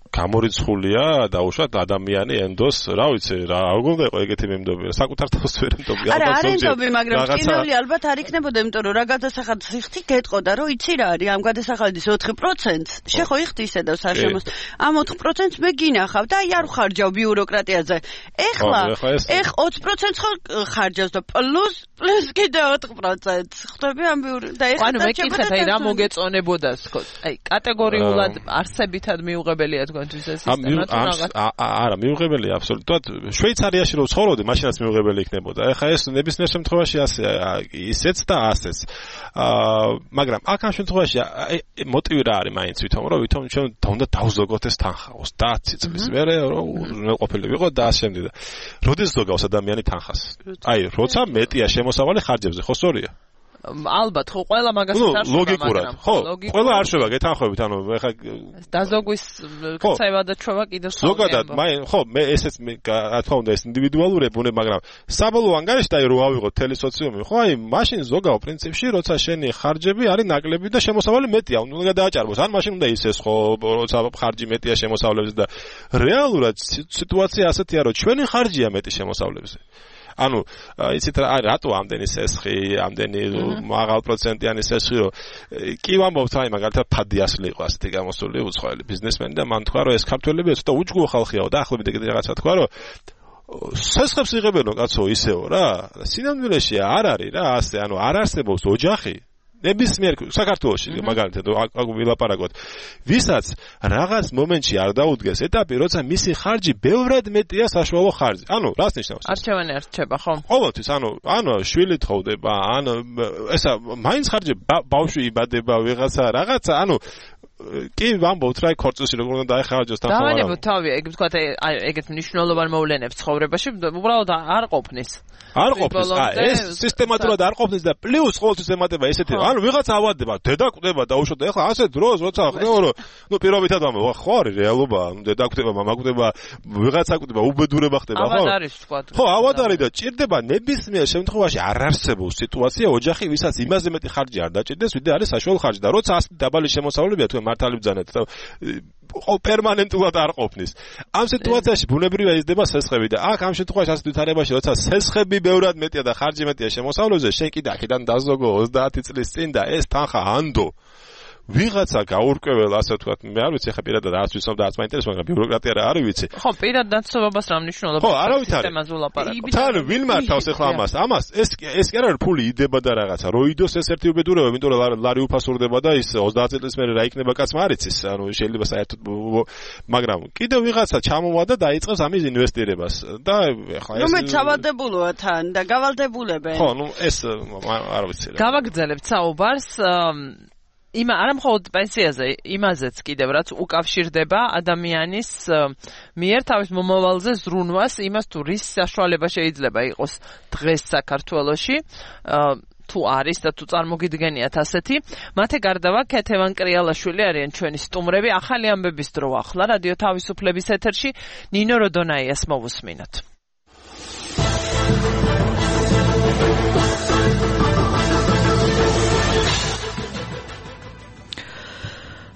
E: გამორიცხულია დაუშვათ ადამიანი ენდოს, რა ვიცი, რა უნდა იყო ეგეთი მემდობი, საკუთარ თავს ვერ მდობი.
C: არა, არ ენდობი, მაგრამ კინოლი ალბათ არ იქნებოდა, იმიტომ რომ რა გადასახადს იხდი, გეტყოდა, რომ იცი რა არის, ამ გადასახადის 4%-ს, შეხო იხდი ისე და საშემოს. ამ 4%-ს მე გინახავ და აი არ ხარჯავ ბიუროკრატიაზე. ეხლა 20%-ს ხარჯავს და პლუს კიდე 4%. ხვდები ამ და ეხლა
B: ანუ მეკითხეთ, აი რა მოგეწონებოდა თქო. აი კატეგორიულად არსებითად მიუღებელია თქვენთვის ეს სისტემა თუ რაღაც.
E: არა, მიუღებელია აბსოლუტურად. შვეიცარიაში რო ცხოვრობდი, მაშინაც მიუღებელი იქნებოდა. ეხლა ეს ნებისმიერ შემთხვევაში ასე ისეც და ასეც. მაგრამ აქ ამ შემთხვევაში მოტივი რა არის მაინც ვითომ ჩვენ უნდა დავზოგოთ ეს თანხა 30 წლის მერე რომ უზრუნველყოფილი ვიყო და ასე შემდეგ. როდის ზოგავს ადამიანი თანხას? აი, როცა მეტია შემოსავალი ხარჯებზე, ხო სწორია?
B: ალბათ ხო ყველა მაგასაც არ შვება
E: ლოგიკურად ხო ყველა არ შვება გეთანხმებით ანუ ეხლა
B: დაზოგვის ქცევა და ჩვევა კიდევ
E: ზოგადად ხო მე ესეც რა თქმა უნდა ეს ინდივიდუალურია ბუნება მაგრამ საბოლოო ანგარიშში და რო ავიღოთ თელი სოციუმი ხო აი მაშინ ზოგაო პრინციპში როცა შენი ხარჯები არის ნაკლები და შემოსავალი მეტია უნდა დააჭარბოს ან მაშინ უნდა ისეს ხო როცა ხარჯი მეტია შემოსავლებზე და რეალურად სიტუაცია ასეთია რომ ჩვენი ხარჯია მეტი შემოსავლებზე ანუ იცით რატო ამდენი სესხი, ამდენი მაღალ პროცენტიანი სესხი, რომ კი ვამბობთ, აი მაგალითად ფადიასლი იყო ასეთი გამოსული უცხოელი ბიზნესმენი და მან თქვა, რომ ეს ქართველები ცოტა უჯგუფო ხალხიაო და ახლობით ეგეთი რაღაცა თქვა, რომ სესხებს იღებენო კაცო ისეო რა, სინამდვილეში არ არის რა, ასე, ანუ არ არსებობს ოჯახი ნებისმიერ საქართველოში მაგალითად აქ ვილაპარაკოთ ვისაც რაღაც მომენტში არ დაუდგეს ეტაპი როცა მისი ხარჯი ბევრად მეტია საშუალო ხარჯი ანუ რას ნიშნავს
B: არჩევანი არჩება ხო
E: ყოველთვის ანუ შვილი თხოვდება ანუ ესა მაინც ხარჯი ბავშვი იბადება ვიღაცა რაღაცა ანუ კი ვამბობთ რა ქორწილში როგორ უნდა დაეხარჯოს თან ხარ
B: დავანებოთ თავი ეგ ვთქვათ ეგეთ მნიშვნელოვან მოვლენებს ცხოვრებაში უბრალოდ არ ყოფნის
E: არ ყოფნის ეს სისტემატურად არ ყოფნის და პლუს ყოველთვის ემატება ესეთი ანუ ვიღაცა ავადდება დედა კვდება და უშოთ ეხლა ასე დროს როცა ხდება რომ ნუ პირობითად ვამბობ ხო არის რეალობა დედა კვდება მამა კვდება ვიღაცა კვდება უბედურება ხდება ხო
B: ავად არის ვთქვათ
E: ხო ავად არის და ჭირდება ნებისმიერ შემთხვევაში არ არსებობს სიტუაცია ოჯახი ვისაც იმაზე მეტი ხარჯი არ დაჭირდეს ვიდრე არის საშუალო ხარჯი და როცა ასეთი დაბალი შემოსავლებია თუ მართალი ბძანეთ და პერმანენტულად არ ყოფნის. ამ სიტუაციაში ბუნებრივია იზრდება სესხები და აქ ამ შემთხვევაში ასეთ ვითარებაში როცა სესხები ბევრად მეტია და ხარჯი მეტია შემოსავლებზე, შენ კიდე აქედან დაზოგო 30 წლის წინ და ეს თანხა ანდო. ვიღაცა გაურკვეველ ასე ვთქვათ, მე არ ვიცი ხა პირადად არც ვიცნობ და არც მაინტერესებს, მაგრამ ბიუროკრატია რა არის ვიცი.
B: ხო, პირად დაცვებას რა მნიშვნელობა
E: ხო, არავით არის. თან ვინ მართავს ახლა ამას? ეს კი არ არის ფული იდება და რაღაცა. რო იდოს ეს ერთი უბედურება, იმიტომ რომ ლარი უფასურდება და ის 30 წლის მერე რა იქნება კაცმა არ იცის. ანუ შეიძლება საერთოდ მაგრამ კიდევ ვიღაცა ჩამოვა და დაიწყებს ამის ინვესტირებას. და ახლა ეს
C: ნუ მეცავადებულოა თან და გავალდებულებენ.
E: ხო, ნუ ეს არ ვიცი რა.
B: გავაგრძელებთ საუბარს არა მხოლოდ პენსიაზე, იმაზეც კიდევ რაც უკავშირდება ადამიანის მიერ თავის მომავალზე ზრუნვას, იმას თუ რის საშუალება შეიძლება იყოს დღეს საქართველოში. თუ არის და თუ წარმოგიდგენიათ ასეთი, მათე გარდავა ქეთევან კრიალაშვილი არიან ჩვენი სტუმრები. ახალი ამბების დრო ახლა რადიო თავისუფლების ეთერში ნინო როდონაიას მოვუსმინოთ.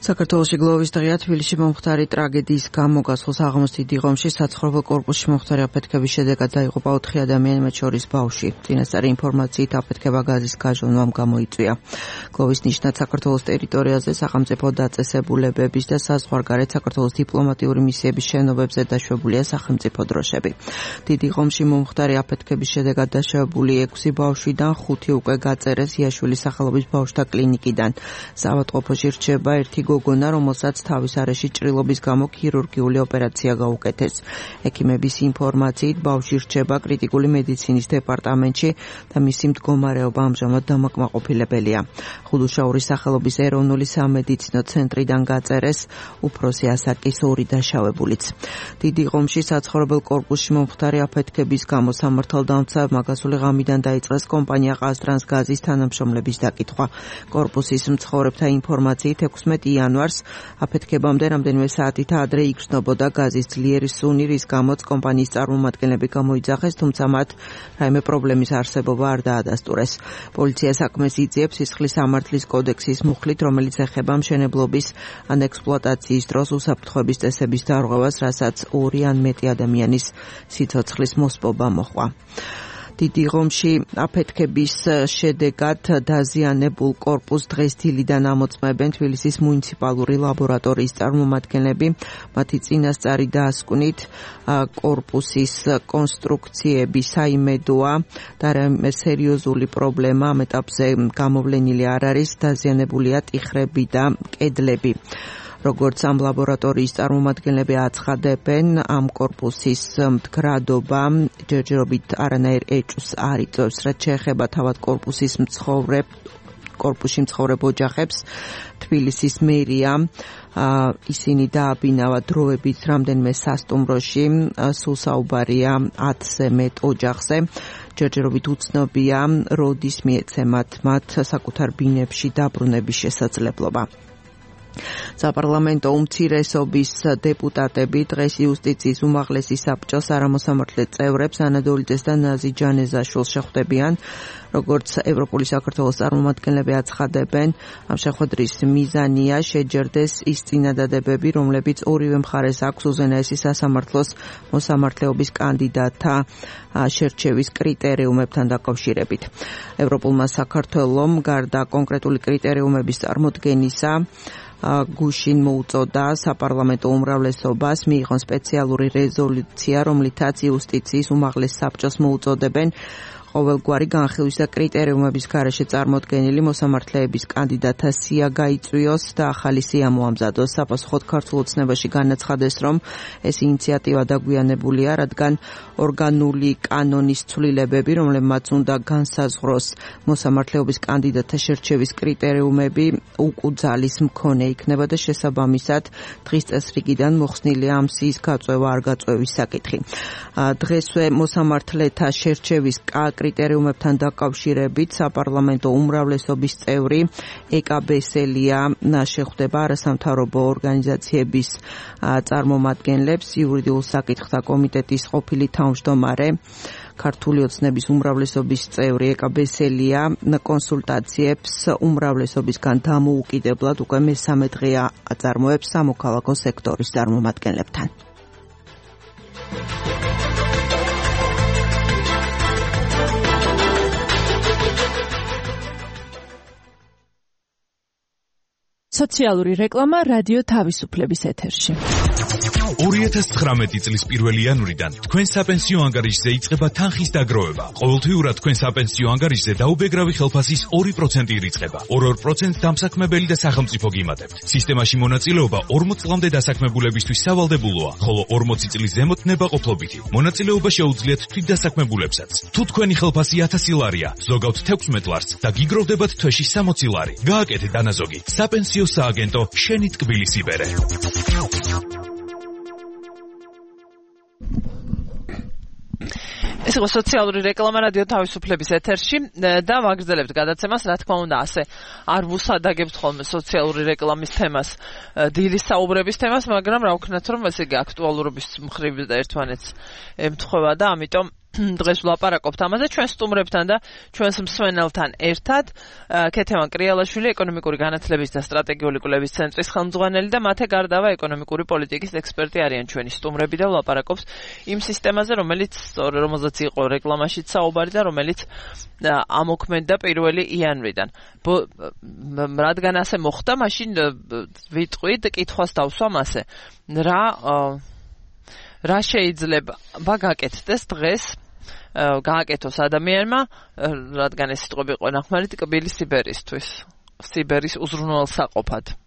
G: საქართველოში გლოვის დღეა თბილისში მომხდარი ტრაგედიის გამო გასულ საღამოს დიდი ღომში საცხოვრებელ კორპუსში მომხდარი აფეთქების შედეგად დაიღუპა 4 ადამიანი, მათ შორის ბავშვი. წინასწარი ინფორმაციით აფეთქება გაზის გაჟონვამ გამოიწვია. გლოვის ნიშნად საქართველოს ტერიტორიაზე სახელმწიფო დაწესებულებების და საზღვარგარეთ საქართველოს დიპლომატიური მისიების შენობებზე დაშვებულია სახელმწიფო დროშები. დიდი ღომში მომხდარი აფეთქების შედეგად დაშვებული 6 ბავშვიდან 5 უკვე გაწერეს იაშვილის სახელობის ბავშვთა კლინიკიდან. საავადმყოფოში რჩება ერთი გოგონა, რომელსაც თავის არეში ჭრილობის გამო ქირურგიული ოპერაცია გაუკეთეს. ექიმების ინფორმაციით ბავშვი რჩება კრიტიკული მედიცინის დეპარტამენტში და მისი მდგომარეობა ამჟამად დამაკმაყოფილებელია. ხუდუშაურის სახელობის ეროვნული სამედიცინო ცენტრიდან გაწერეს უფროსი ასაკის 2 დაშავებულიც. დიდი ღომში საცხოვრებელ კორპუსში მომხდარი აფეთქების გამო სამართალდამცავებმა გასული ღამიდან დაიწყეს კომპანია ყაზტრანსგაზის თანამშრომლების დაკითხვა. კორპუსის მცხოვრებთა ინფორმაციით 16 იანვარს აფეთქებამდე რამდენიმე საათით ადრე იგრძნობოდა გაზის ძლიერი სუნი, რის გამოც კომპანიის წარმომადგენლები გამოიძახეს, თუმცა მათ რაიმე პრობლემის არსებობა არ დაადასტურეს. პოლიცია საქმეს იძიებს სისხლის სამართლის კოდექსის მუხლით, რომელიც ეხება მშენებლობის ან ექსპლუატაციის დროს უსაფრთხოების წესების დარღვევას, რასაც 2 ან მეტი ადამიანის სიცოცხლის მოსპობა მოჰყვა. დიდი ღომში აფეთქების შედეგად დაზიანებულ კორპუსს დღეს დილიდან ამოწმებენ თბილისის მუნიციპალური ლაბორატორიის წარმომადგენლები. მათი წინასწარი დასკვნით კორპუსის კონსტრუქციები საიმედოა და რაიმე სერიოზული პრობლემა ამ ეტაპზე გამოვლენილი არ არის, დაზიანებულია ტიხრები და კედლები. როგორც ამ ლაბორატორიის წარმომადგენლები აცხადებენ, ამ კორპუსის მდგრადობა ჯერჯერობით არანაირ ეჭვს არ იწვევს, რაც შეეხება თავად კორპუსში მცხოვრებ ოჯახებს. თბილისის მერია ისინი დააბინავა დროებით რამდენიმე სასტუმროში, სულ საუბარია 10-ზე მეტ ოჯახზე. ჯერჯერობით უცნობია, როდის მიეცემათ მათ საკუთარ ბინებში დაბრუნების შესაძლებლობა. საპარლამენტო უმცირესობის დეპუტატები დღეს იუსტიციის უმაღლესი საბჭოს არამოსამართლე წევრებს ანადოლიძეს და ნაზი ჯანეზაშვილს შეხვდებიან. როგორც ევროპული საქართველოს წარმომადგენლები აცხადებენ, ამ შეხვედრის მიზანია შეჯერდეს ის წინადადებები, რომლებიც ორივე მხარეს აქვს უზენაესი სასამართლოს მოსამართლეობის კანდიდატთა შერჩევის კრიტერიუმებთან დაკავშირებით. ევროპულმა საქართველომ გარდა კონკრეტული კრიტერიუმების წარმოდგენისა გუშინ მოუწოდა საპარლამენტო უმრავლესობას მიიღონ სპეციალური რეზოლუცია, რომლითაც იუსტიციის უმაღლეს საბჭოს მოუწოდებენ ყოველგვარი განხილვის და კრიტერიუმების გარეშე წარმოდგენილი მოსამართლეების კანდიდატთა სია გაიწვიოს და ახალი სია მოამზადოს. საპასუხოდ ქართულ ოცნებაში განაცხადეს, რომ ეს ინიციატივა დაგვიანებულია, რადგან ორგანული კანონის ცვლილებები, რომლებმაც უნდა განსაზღვროს მოსამართლეობის კანდიდატთა შერჩევის კრიტერიუმები, უკუძალის მქონე იქნება და შესაბამისად დღის წესრიგიდან მოხსნილია ამ სიის გაწევა არ გაწევის საკითხი. დღესვე მოსამართლეთა შერჩევის კრიტერიუმებთან დაკავშირებით საპარლამენტო უმრავლესობის წევრი ეკა ბესელია შეხვდება არასამთავრობო ორგანიზაციების წარმომადგენლებს. იურიდიულ საკითხთა კომიტეტის ყოფილი თავმჯდომარე ქართული ოცნების უმრავლესობის წევრი ეკა ბესელია კონსულტაციებს უმრავლესობისგან დამოუკიდებლად უკვე მესამე დღეა აწარმოებს სამოქალაქო სექტორის წარმომადგენლებთან.
H: სოციალური რეკლამა რადიო თავისუფლების ეთერში.
I: 2019 წლის 1 იანვრიდან თქვენ საპენსიო ანგარიშზე იწყება თანხის დაგროვება. ყოველთვიურად თქვენ საპენსიო ანგარიშზე დაუბეგრავი ხელფასის 2% ირიცხება. 2% დამსაქმებელი და სახელმწიფო გიმატებთ. სისტემაში მონაწილეობა 40 წლამდე დასაქმებულებისთვის სავალდებულოა, ხოლო 40 წლის ზემოთ ნებაყოფლობითი. მონაწილეობა შეუძლიათ თვითდასაქმებულებსაც. თუ თქვენი ხელფასი 1000 ლარია, ზოგავთ 16 ლარს და გიგროვდებათ თვეში 60 ლარი. გააკეთეთ დანაზოგი. საპენსიო სააგენტო შენი ტკბილის იბერე.
B: ეს იყო სოციალური რეკლამა რადიო თავისუფლების ეთერში და ვაგრძელებთ გადაცემას, რა თქმა უნდა, ასე არ ვუსადაგებთ ხოლმე სოციალური რეკლამის თემას, დილის საუბრების თემას, მაგრამ რა ვქნათ, რომ ესე იგი აქტუალურობის მხრივ ერთმანეთს ემთხვევა და ამიტომ დღეს ვლაპარაკობთ ამაზე ჩვენ სტუმრებთან და ჩვენს მსმენელთან ერთად. ქეთევან კრიალაშვილი, ეკონომიკური განათლების და სტრატეგიული კვლევის ცენტრის ხელმძღვანელი და მათე გარდავა ეკონომიკური პოლიტიკის ექსპერტი არიან ჩვენი სტუმრები და ვლაპარაკობს იმ სისტემაზე, რომელზეც იყო რეკლამაშიც საუბარი და რომელიც ამოქმედდა 1 იანვრიდან. რადგან ასე მოხდა, მაშინ ვიტყვით, კითხვას დავსვამ ასე. რა შეიძლება გაკეთდეს დღეს გააკეთოს ადამიანმა, რადგან ეს სიტყვები იყო ნახმარი ტკბილი სიბერისთვის, სიბერის უზრუნველსაყოფად.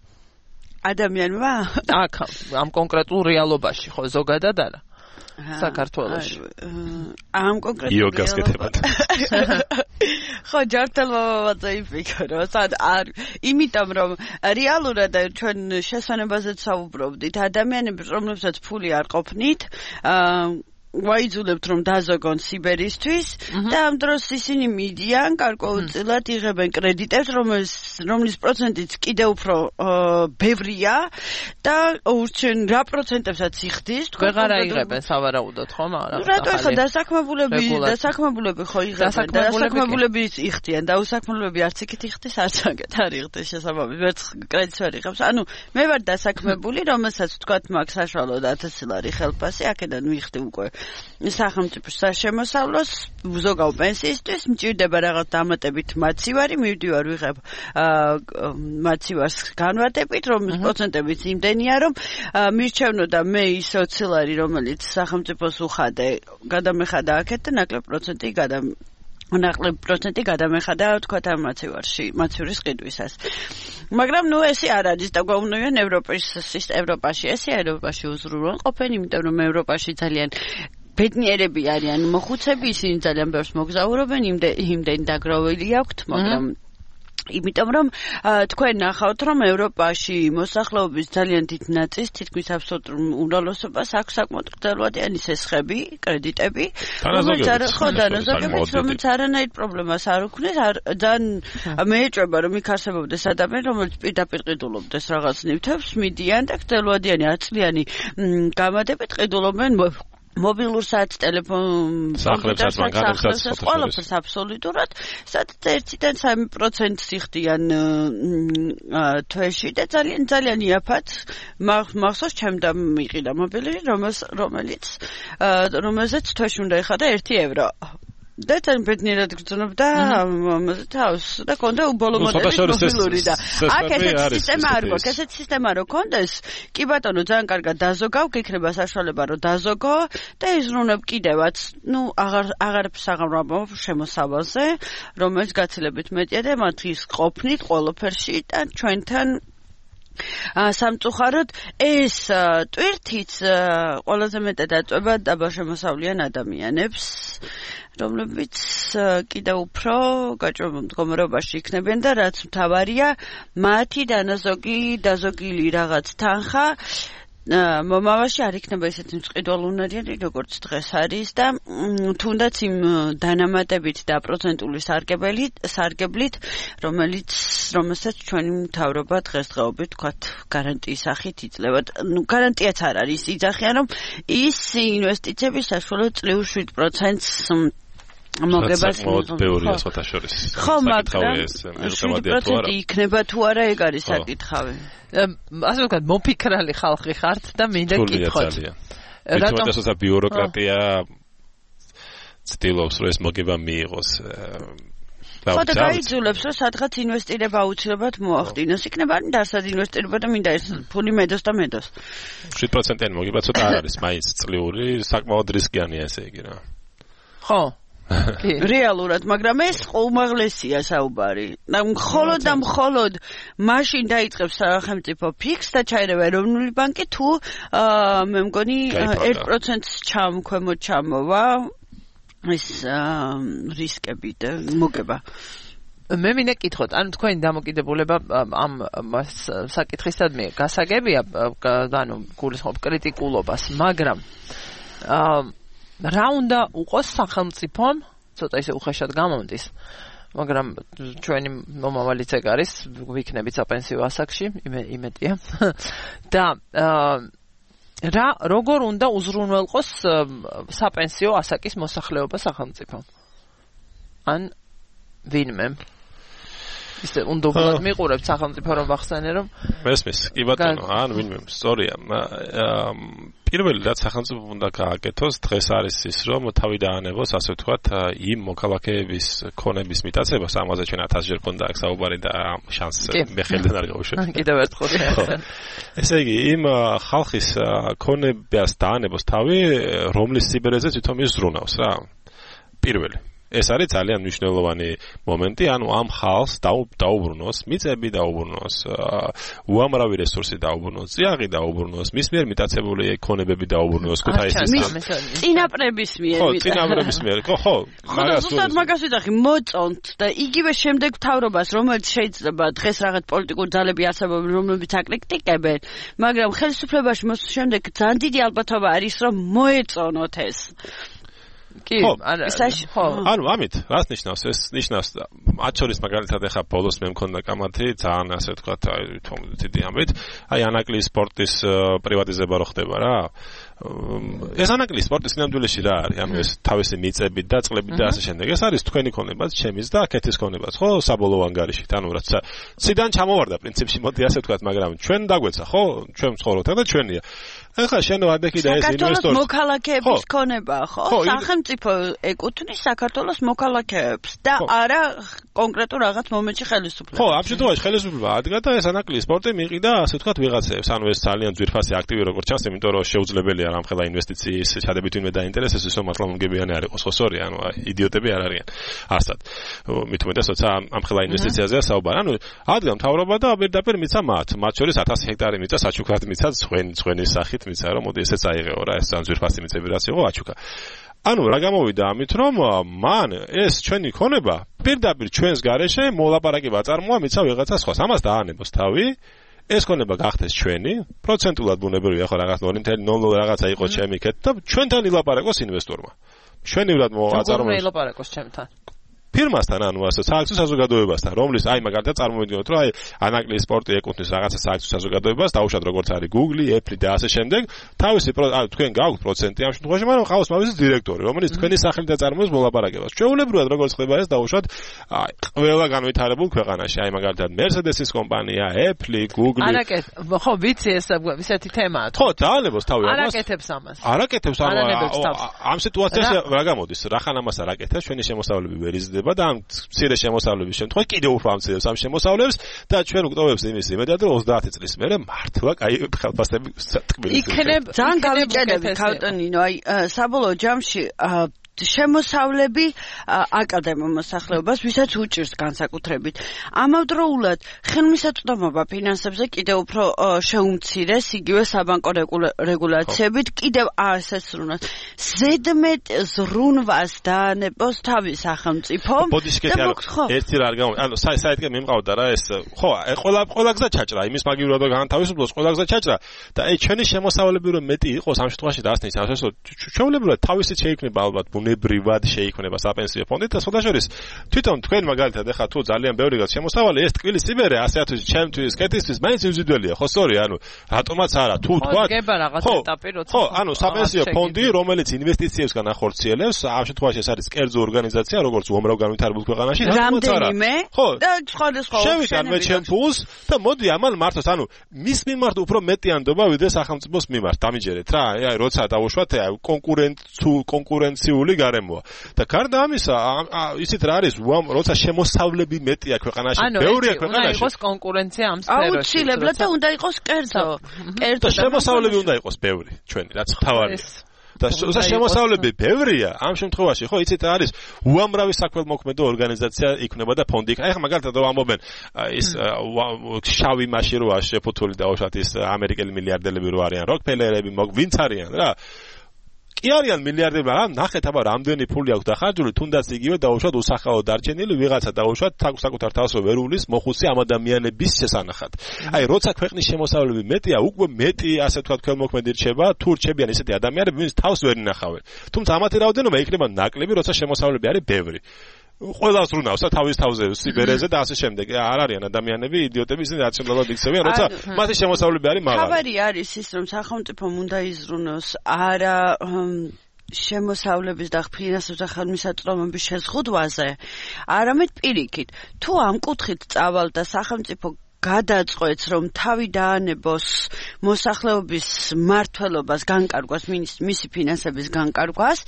C: ადამიანმა?
B: აქ ამ კონკრეტულ რეალობაში, ხო, ზოგადად არა. საქართველოში.
C: ამ კონკრეტულ
E: იოგას კეთებად.
C: ხო, ჯართელმა ვაძაიფიქრო, იმიტომ რომ რეალურად ჩვენ შესვენებაზეც საუბრობდით, ადამიანები, რომლებსაც ფული არ ყოფნით, ვაიძულებთ რომ დაზოგონ სიბერისთვის და ამ დროს ისინი მიდიან გარკვეულწილად იღებენ კრედიტებს, რომლის პროცენტიც კიდევ უფრო ბევრია და ურჩენ რა პროცენტებსაც იხდის,
B: თქვენ ვეღარ აიღებენ სავარაუდოდ, ხო, მაგრამ
C: რატო ახლა დასაქმებულები ხო იღებენ, დასაქმებულები იხდიან და უსაქმებლები არც იქით იხდის, არც აქეთ არ იხდის შესაბამისად, ვერც კრედიტს ვერ იღებს. ანუ მე ვარ დასაქმებული, რომელსაც თქვათ მაქვს საშუალოდ 1000 ლარი ხელფასი, აქედან ვიხდი უკვე სახელმწიფოს საშემოსავლოს, ვზოგავ პენსიისთვის, მჭირდება რაღაც დამატებით მაცივარი, მივდივარ ვიღებ მაცივარს განვადებით, რომლის პროცენტებიც იმდენია, რომ მირჩევნო და მე ის 20 ლარი, რომელიც სახელმწიფოს უხადე, გადამეხადა აქეთ და ნაკლებ პროცენტი გადამეხადა თქვათ ამ მაცივრის ყიდვისას. მაგრამ ნუ ესე არ არის და გვაუნდიან ევროპაში ევროპაში უზრუნველყოფენ, იმიტომ რომ ევროპაში ძალიან ბედნიერები არიან მოხუცები, ისინი ძალიან ბევრს მოგზაურობენ, იმდენი დაგროვილი აქვთ, მაგრამ იმიტომ რომ თქვენ ნახავთ რომ ევროპაში მოსახლეობის ძალიან დიდ ნაწილს თითქმის აბსოლუტურ უმრავლესობას აქვს საკმაოდ გრძელვადიანი სესხები, კრედიტები, რომელიც არანაირ პრობლემას არ უქმნის, ძალიან მეეჭვება რომ იქ არსებობდეს ადამიანი, რომელიც პირდაპირ ყიდულობდეს რაღაც ნივთებს, მიდიან და გრძელვადიანი 10 წლიანი გამადებით ყიდულობენ მობილურ საათს, ტელეფონ,
E: სახლებს,
C: ყველაფერს აბსოლუტურად, სადაც 1-დან 3% იხდიან თვეში და ძალიან იაფად მახსოვს ჩემ და მიყიდა მობილი, რომელზეც თვეში უნდა ეხადა 1 евро. და თან ბედნიერად გრძნობდა თავს და კონდა უბოლო მოდელი მობილური და აქ ესეთი სისტემა არ გვაქვს, ესეთი სისტემა რო კონდეს, კი ბატონო ძალიან კარგად დაზოგავ, გიქნება საშუალება რომ დაზოგო და იზრუნებ კიდევაც, აღარაფერს აღარ შემოსავალზე, რომელიც გაცილებით მეტია და მათთვის ყოფნით ყველაფერში და ჩვენთან სამწუხაროდ ეს ტვირთიც ყველაზე მეტად აწვება დაბაშემოსავლიან ადამიანებს, რომლებიც კიდევ უფრო გაჭრობილ მდგომარეობაში იქნებიან და რაც მთავარია, მათი დაზოგილი რაღაც თანხა მომავალში არ იქნება ისეთი მწყიდვალუნარიანი, როგორც დღეს არის და თუნდაც იმ დანამატებით და პროცენტული სარგებლით, რომელსაც ჩვენი მთავრობა დღესდღეობით თქვათ გარანტიის სახით იძლევა. გარანტიაც არ არის, იძახიან რომ ის ინვესტიციები საშუალოდ წლიურ 7%-ს მოგებას
E: ბევრია სხვათა შორის.
C: ხო, მაგრამ 7% იქნება თუ არა, ეგ არის საკითხავი.
B: ასე ვთქვათ, მოფიქრალი ხალხი ხართ და მინდა გითხოთ.
E: რატომ ეს ბიუროკრატია ცდილობს რომ ეს მოგება მიიღოს?
C: ხო და გაიძულებს რომ სადღაც ინვესტირება აუცილებლად მოახდინოს. იქნება დასად ინვესტირება და მინდა ეს ფული მედოს და მედოს.
E: 7%-იანი მოგება ცოტა არ არის მაინც წლიური, საკმაოდ რისკიანია ესე იგი რა.
B: ხო.
C: რეალურად, მაგრამ ეს უმაღლესია საუბარი. მხოლოდ მაშინ დაიწყებს სახელმწიფო ფიქსს და ჩაერევა ეროვნული ბანკი თუ მე მგონი 1%-ს ქვემოთ ჩამოვა ეს რისკები და მოგება.
B: მე მინდა გითხოთ, ანუ თქვენი დამოკიდებულება ამ საკითხისადმი გასაგებია, ანუ გულისხმობ კრიტიკულობას, მაგრამ რა უნდა უყოს სახელმწიფომ, ცოტა ისე უხეშად გამომდის, მაგრამ ჩვენი მომავალიც ეგ არის, ვიქნებით საპენსიო ასაკში, იმედია. და როგორ უნდა უზრუნველყოს საპენსიო ასაკის მოსახლეობა სახელმწიფომ? ან ვინმე? ისე უნდა უბრალოდ მიყურებთ სახელმწიფო რომ ვახსენე რომ
E: მესმის კი ბატონო ან ვინმე სწორია პირველი რაც სახელმწიფო უნდა გააკეთოს დღეს არის ის რომ თავი დაანებოს ასე ვთქვათ იმ მოქალაქეების ქონების მიტაცებას ამაზე ჩვენ 1000 ჯერ ქონდა აქ საუბარი და შანსს მე ხელიდან არ გავუშვებ
B: კიდევ ერთხელ
E: ესე იგი იმ ხალხის ქონებას დაანებოს თავი რომლის სიბერეზე თვითონ ის ზრუნავს რა პირველი ეს არის ძალიან მნიშვნელოვანი მომენტი, ანუ ამ ხალხს დაუბრუნოს, მიწები დაუბრუნოს, უამრავი რესურსი დაუბრუნოს, წიაღი დაუბრუნოს, მის მიერ მიტაცებული ქონებები დაუბრუნოს, ქუთაისის
C: წინაპრების მიერ.
E: ხო, წინაპრების მიერ. ხო.
C: ზუსტად მაგას ვიტახი, მოწონთ და იგივე შემდეგ მთავრობას, რომელიც შეიძლება დღეს რაღაც პოლიტიკური ძალები არსებობენ, რომლებიც აკრიტიკებენ, მაგრამ ხელისუფლებაში მოსვლის შემდეგ ძალიან დიდი ალბათობა არის, რომ მოეწონოთ ეს.
B: კი,
E: ანუ ამით რას ნიშნავს ეს ნიშნავს მათ შორის მაგალითად ახლა ბოლოს მე მქონდა კამათი ძალიან ასე ვთქვათ დიდი ამბით აი ანაკლის სპორტის პრივატიზება რო ხდება რა ეს ანაკლის სპორტის ნამდვილში რა არის ანუ ეს თავისი მიწები და წყლები და ასე შემდეგ ეს არის თქვენი ქონებაც ჩემის და კეთის ქონებაც ხო საბოლოო ანგარიშით ანუ რაც ციდან ჩამოვარდა პრინციპში მოდი ასე ვთქვათ მაგრამ ჩვენ დაგვეცა ხო ჩვენ ვცხოვრობთ და ჩვენია ეხლა შენ ვადექი და ეს ინვესტორი
C: საქართველოს მოქალაქეების ქონება ხო სახელმწიფო ეკუთვნის საქართველოს მოქალაქეებს და არა კონკრეტულ რაღაც მომენტში ხელისუფლებას
E: ხო ამ შემთხვევაში ხელისუფლება ადგა და ეს ანაკლი სპორტი მიიყიდა ასე ვთქვათ ვიღაცებს ანუ ეს ძალიან ძვირფასი აქტივი როგორც ჩანს იმიტომ რომ შეუძლებელია რამხელა ინვესტიციის ჩადებით ვინმე დაინტერესებს ისო მართლა მომგებიანი არ იყოს ხო სწორია ანუ იდიოტები არ არიან ასად მით უმეტეს როცა ამხელა ინვესტიციაზეა საუბარი ანუ ადგა მთავრობა და პირდაპირ მიცა მათ შორის 1000 ჰექტარი მიცა საჩუქრად მიცა სხვენის სახით მიცა რომ მოდი ესეც აიღეო რა ეს ძალიან ძვირფასი მიწები რაც იყო აჩუქა ანუ რა გამოვიდა ამით რომ მან ეს ჩვენი ქონება პირდაპირ ჩვენს გარეშე მოლაპარაკება აწარმოა მიცა ვიღაცა სხვას ამას დაანებოს თავი ეს ქონება გახდეს ჩვენი პროცენტულად ბუნებრივია ხო რაღაც 0.00 რაღაცა იყო ჩემი კეთ და ჩვენთან ილაპარაკოს ინვესტორმა ჩვენივრად მოაწარმოოს
B: როგორ ილაპარაკოს ჩემთან
E: ფირმასთან ანუ ასე სააქციო საზოგადოებასთან რომლის აი მაგალითად წარმოვიდგინოთ რომ აი ანაკლის სპორტი ეკუთვნის რაღაცა სააქციო საზოგადოებას დაუშვათ როგორც არის Google, Apple და ასე შემდეგ თავისი ანუ თქვენ გაქვთ პროცენტი ამ შემთხვევაში მაგრამ ყავს თავისი დირექტორი რომელიც თქვენი სახელით აწარმოებს მოლაპარაკებას ჩვეულებრივად როგორც ხდება ეს დაუშვათ აი ყველა განვითარებულ ქვეყანაში აი მაგალითად Mercedes-ის კომპანია, Apple, Google
B: არაკეთ ხო ვიცი ეს ისეთი თემაა
E: ხო დაანებოს თავი ამას
B: არაკეთებს ამას
E: არაკეთებს ამ სიტუაციაში რა გამოდის რახან ამას არაკეთებს ჩვენი შემოსავლები ვერ იზრდება და ამ მცირე შემოსავლების შემთხვევაში კიდევ უფრო ამცირებს ამ შემოსავლებს და ჩვენ უგტოვებს იმის იმედად რომ 30 წლის მერე მართლა კაი ხელფასები თქმის
C: იქნებ ძალიან გავიჭედები ქავტონინო აი საბოლოო ჯამში შემოსავლები აკადემიურ მოსახლეობას ვისაც უჭირს განსაკუთრებით ამავდროულად ხელმისაწვდომობა ფინანსებზე კიდევ უფრო შეუმცირეს იგივე საბანკო რეგულაციებით კიდევ ასესრუნოს ზედმეტ ზრუნვას დაანებოს თავის სახელმწიფო
E: ერთი რა არ გამო ანუ საერთოდ მიმყავდა რა ეს ხო ყველა გზა ჩაჭრა იმის მაგივრად განთავისუფლოს ყველა გზა ჩაჭრა და აი ჩვენი შემოსავლები რომ მეტი იყოს ამ შემთხვევაში დასნის ასე ჩვეულებრივად თავისით შეიქმნება ალბათ ბუნებრივად შეიქმნება საპენსიო ფონდი და სხვადასხვა თვითონ თქვენ მაგალითად ახლა თუ ძალიან ბევრი გაც შემოსავალი ეს ტკბილის ციბერე ასე ათვისი ჩემთვის კეთისთვის მაინც ინდივიდუალია ხო სწორია ანუ რატომაც არა თუ თქვა ხო ანუ საპენსიო ფონდი რომელიც ინვესტიციებსგან ახორციელებს ამ შემთხვევაში ეს არის კერძო ორგანიზაცია როგორც უამრავ განვითარებულ ქვეყანაში
C: რატომაც არა ხო და სხვადასხვა
E: შევიტან მე ჩემ ფულს და მოდი ამან მართოს ანუ მის მიმართ უფრო მეტიანდობა ვიდრე სახელმწიფოს მიმართ დამიჯერეთ რა აი როცა დავუშვათ აი კონკურენციული გარემოა და გარდა ამისა ისიც რა არის როცა შემოსავლები მეტია ქვეყანაში ბევრია ქვეყანაში
B: უნდა იყოს კონკურენცია ამ სფეროში
C: აუცილებლად და უნდა იყოს კერძო
E: და შემოსავლები უნდა იყოს ბევრი ჩვენი რაც თავარია და შემოსავლები ბევრია ამ შემთხვევაში ხო იცით რა არის უამრავი საქველმოქმედო ორგანიზაცია იქნება და ფონდი იქნება ეხლა მაგალითად რომ ამობენ ის შავი მასში როა შეფუთული და უშათ ის ამერიკელი მილიარდელები რო არიან როკფელერები ვინც არიან რა კი არიან მილიარდები, მაგრამ ნახეთ აბა რამდენი ფული აქვს დახარჯული, თუნდაც იგივე დაუშვათ უსახაო დარჩენილი ვიღაცა დაუშვათ საკუთარ თავსო ვერულის მოხუცი ამ ადამიანების შესანახად. აი როცა ქვეყნის შემოსავლები მეტია, უკვე მეტი ასე ვთქვათ ქველმოქმედი რჩება, თუ რჩებიან ესეთი ადამიანები, ვინც თავს ვერ ინახავენ. თუმცა ამათი რაოდენობა იქნება ნაკლები, როცა შემოსავლები არის ბევრი. ყველას რუნავს თავის თავზე სიბერეზე და ასე შემდეგ. არ არიან ადამიანები იდიოტები, ისინი რაციონალურად იქცევიან, როცა მათი შემოსავლები არის მაღალი.
C: ხაბარი არის ის, რომ სახელმწიფომ უნდა იზრუნოს არა შემოსავლების და ფინანსური ხელმისაწვდომობის შეზღუდვაზე, არამედ პირიქით. თუ ამ კუთხით წავალ და სახელმწიფო გადაწყვეტს, რომ თავი დაანებოს მოსახლეობის მმართველობას განკარგვას, მისი ფინანსების განკარგვას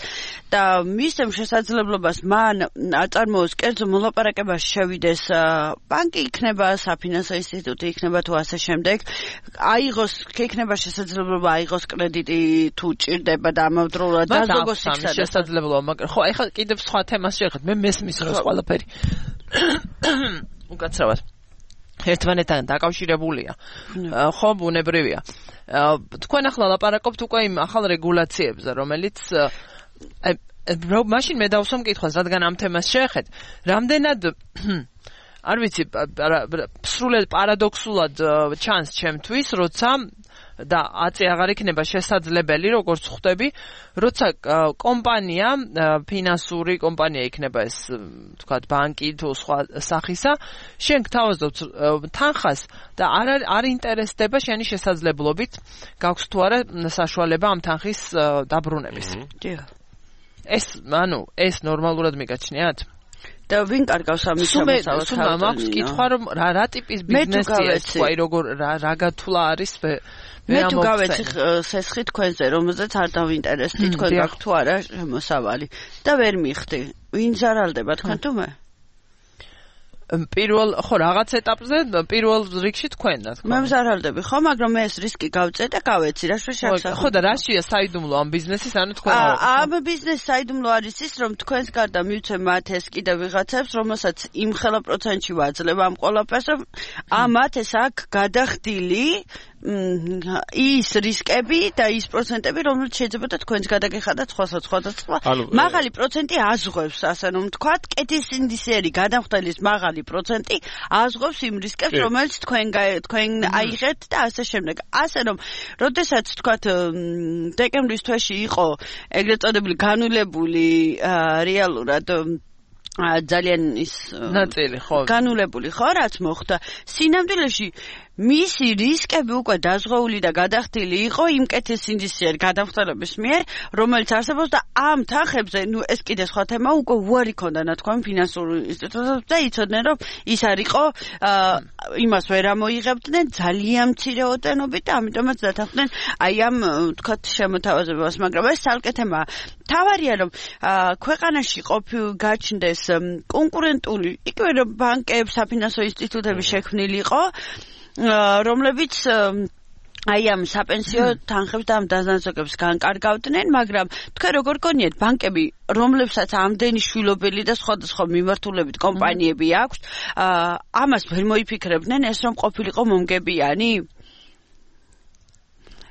C: და მისცემ შესაძლებლობას მან აწარმოოს კერძო მოლაპარაკებას შევიდეს ბანკი იქნება, საფინანსო ინსტიტუტი იქნება თუ ასე შემდეგ, აიღოს, იქნება შესაძლებლობა აიღოს კრედიტი თუ ჭირდება და ამავდროულად დაზოგოს იქნება
B: შესაძლებლობა, მაგრამ ხო, ეხლა კიდევ სხვა თემას შევეხეთ, მე მესმის როს ყველაფერი. უკაცრავად ერთმანეთთან დაკავშირებულია. ხო, ბუნებრივია. თქვენ ახლა ლაპარაკობთ უკვე იმ ახალ რეგულაციებზე, რომელიც მაშინ მე დავსვამ კითხვას, რადგან ამ თემას შევეხეთ, რამდენად არ ვიცი, სრულად პარადოქსულად ჩანს ჩემთვის, როცა და აწი აღარ იქნება შესაძლებელი, როგორც ხვდები, როცა კომპანია, ფინანსური კომპანია იქნება ეს, თქვათ, ბანკი თუ სხვა სახისა, შენ გთავაზობ თანხას და არ ინტერესდება შენი შესაძლებლობით, გაქვს თუ არა საშუალება ამ თანხის დაბრუნების. ეს ნორმალურად მიგაჩნიათ?
C: და ვინ კარგავს ამის შემოსავალს?
B: სულ მაქვს კითხვა, რომ რა ტიპის ბიზნესია ეს, აი როგორ რა გათვლა არის
C: მე თუ გავეცი სესხი თქვენზე, რომელზეც არ დავინტერესდი, თქვენ გაქვთ თუ არა შემოსავალი და ვერ მიხდი. ვინ ზარალდება თქვენ თუ მე?
B: პირველ ხო რაღაც ეტაპზე პირველ რიგში თქვენ და
C: მე მზარალდები ხო, მაგრამ მე ეს რისკი გავწე და გავეცი რა შეშახსა.
B: ხო და რაშია საიდუმლო ამ ბიზნესის, ანუ თქვენ
C: ამ ბიზნესის საიდუმლო არის ის, რომ თქვენს გარდა მივცემ მათ ეს კიდევ ვიღაცებს, რომელსაც იმ ხელა პროცენტში ვაძლევ ამ ყველაფერს, რომ ამათ ეს აქ გადახდილი ის რისკები და ის პროცენტები, რომელიც შეიძლება და თქვენს გადაგეხადათ სხვადასხვა. მაღალი პროცენტი აზღვევს, ასე რომ ვთქვათ, კეთის ინდიციერი გადამხდელის მაღალი პროცენტი აზღვევს იმ რისკებს, რომელიც თქვენ აიღეთ და ასე შემდეგ. ასე რომ, როდესაც ვთქვათ, დეკემბრის თვეში იყო ეგრეთ წოდებული განულებული რეალურად ძალიან ის
B: ნაწილი ხო
C: განულებული ხო რაც მოხდა სინამდვილეში მისი რისკები უკვე დაზღვეული და გადახდილი იყო იმ კეთის ინდიციერ გადამხდელობის მიერ, რომელიც არსებობს და ამ თანხებზე, ნუ ეს კიდე სხვა თემა, უკვე უარი ქონდა ნათქვამი ფინანსურ ინსტიტუტებს და იცოდნენ, რომ ის არ იყო იმას ვერ ამოიღებდნენ ძალიან მცირე ოდენობით და ამიტომაც დათანხმდნენ აი ამ თქვათ შემოთავაზებას, მაგრამ ეს ცალკე თემაა. თავარია რომ ქვეყანაში გაჩნდეს კონკურენტული იგივე რომ ბანკები, საფინანსო ინსტიტუტები შექმნილი იყო, რომლებიც აი ამ საპენსიო თანხებს და ამ დაზანზოგებს განკარგავდნენ, მაგრამ თქვენ როგორ გონიათ ბანკები, რომლებსაც ამდენი შვილობელი და სხვადასხვა მიმართულებით კომპანიები აქვს, ამას ვერ მოიფიქრებდნენ ეს რომ ყოფილიყო მომგებიანი?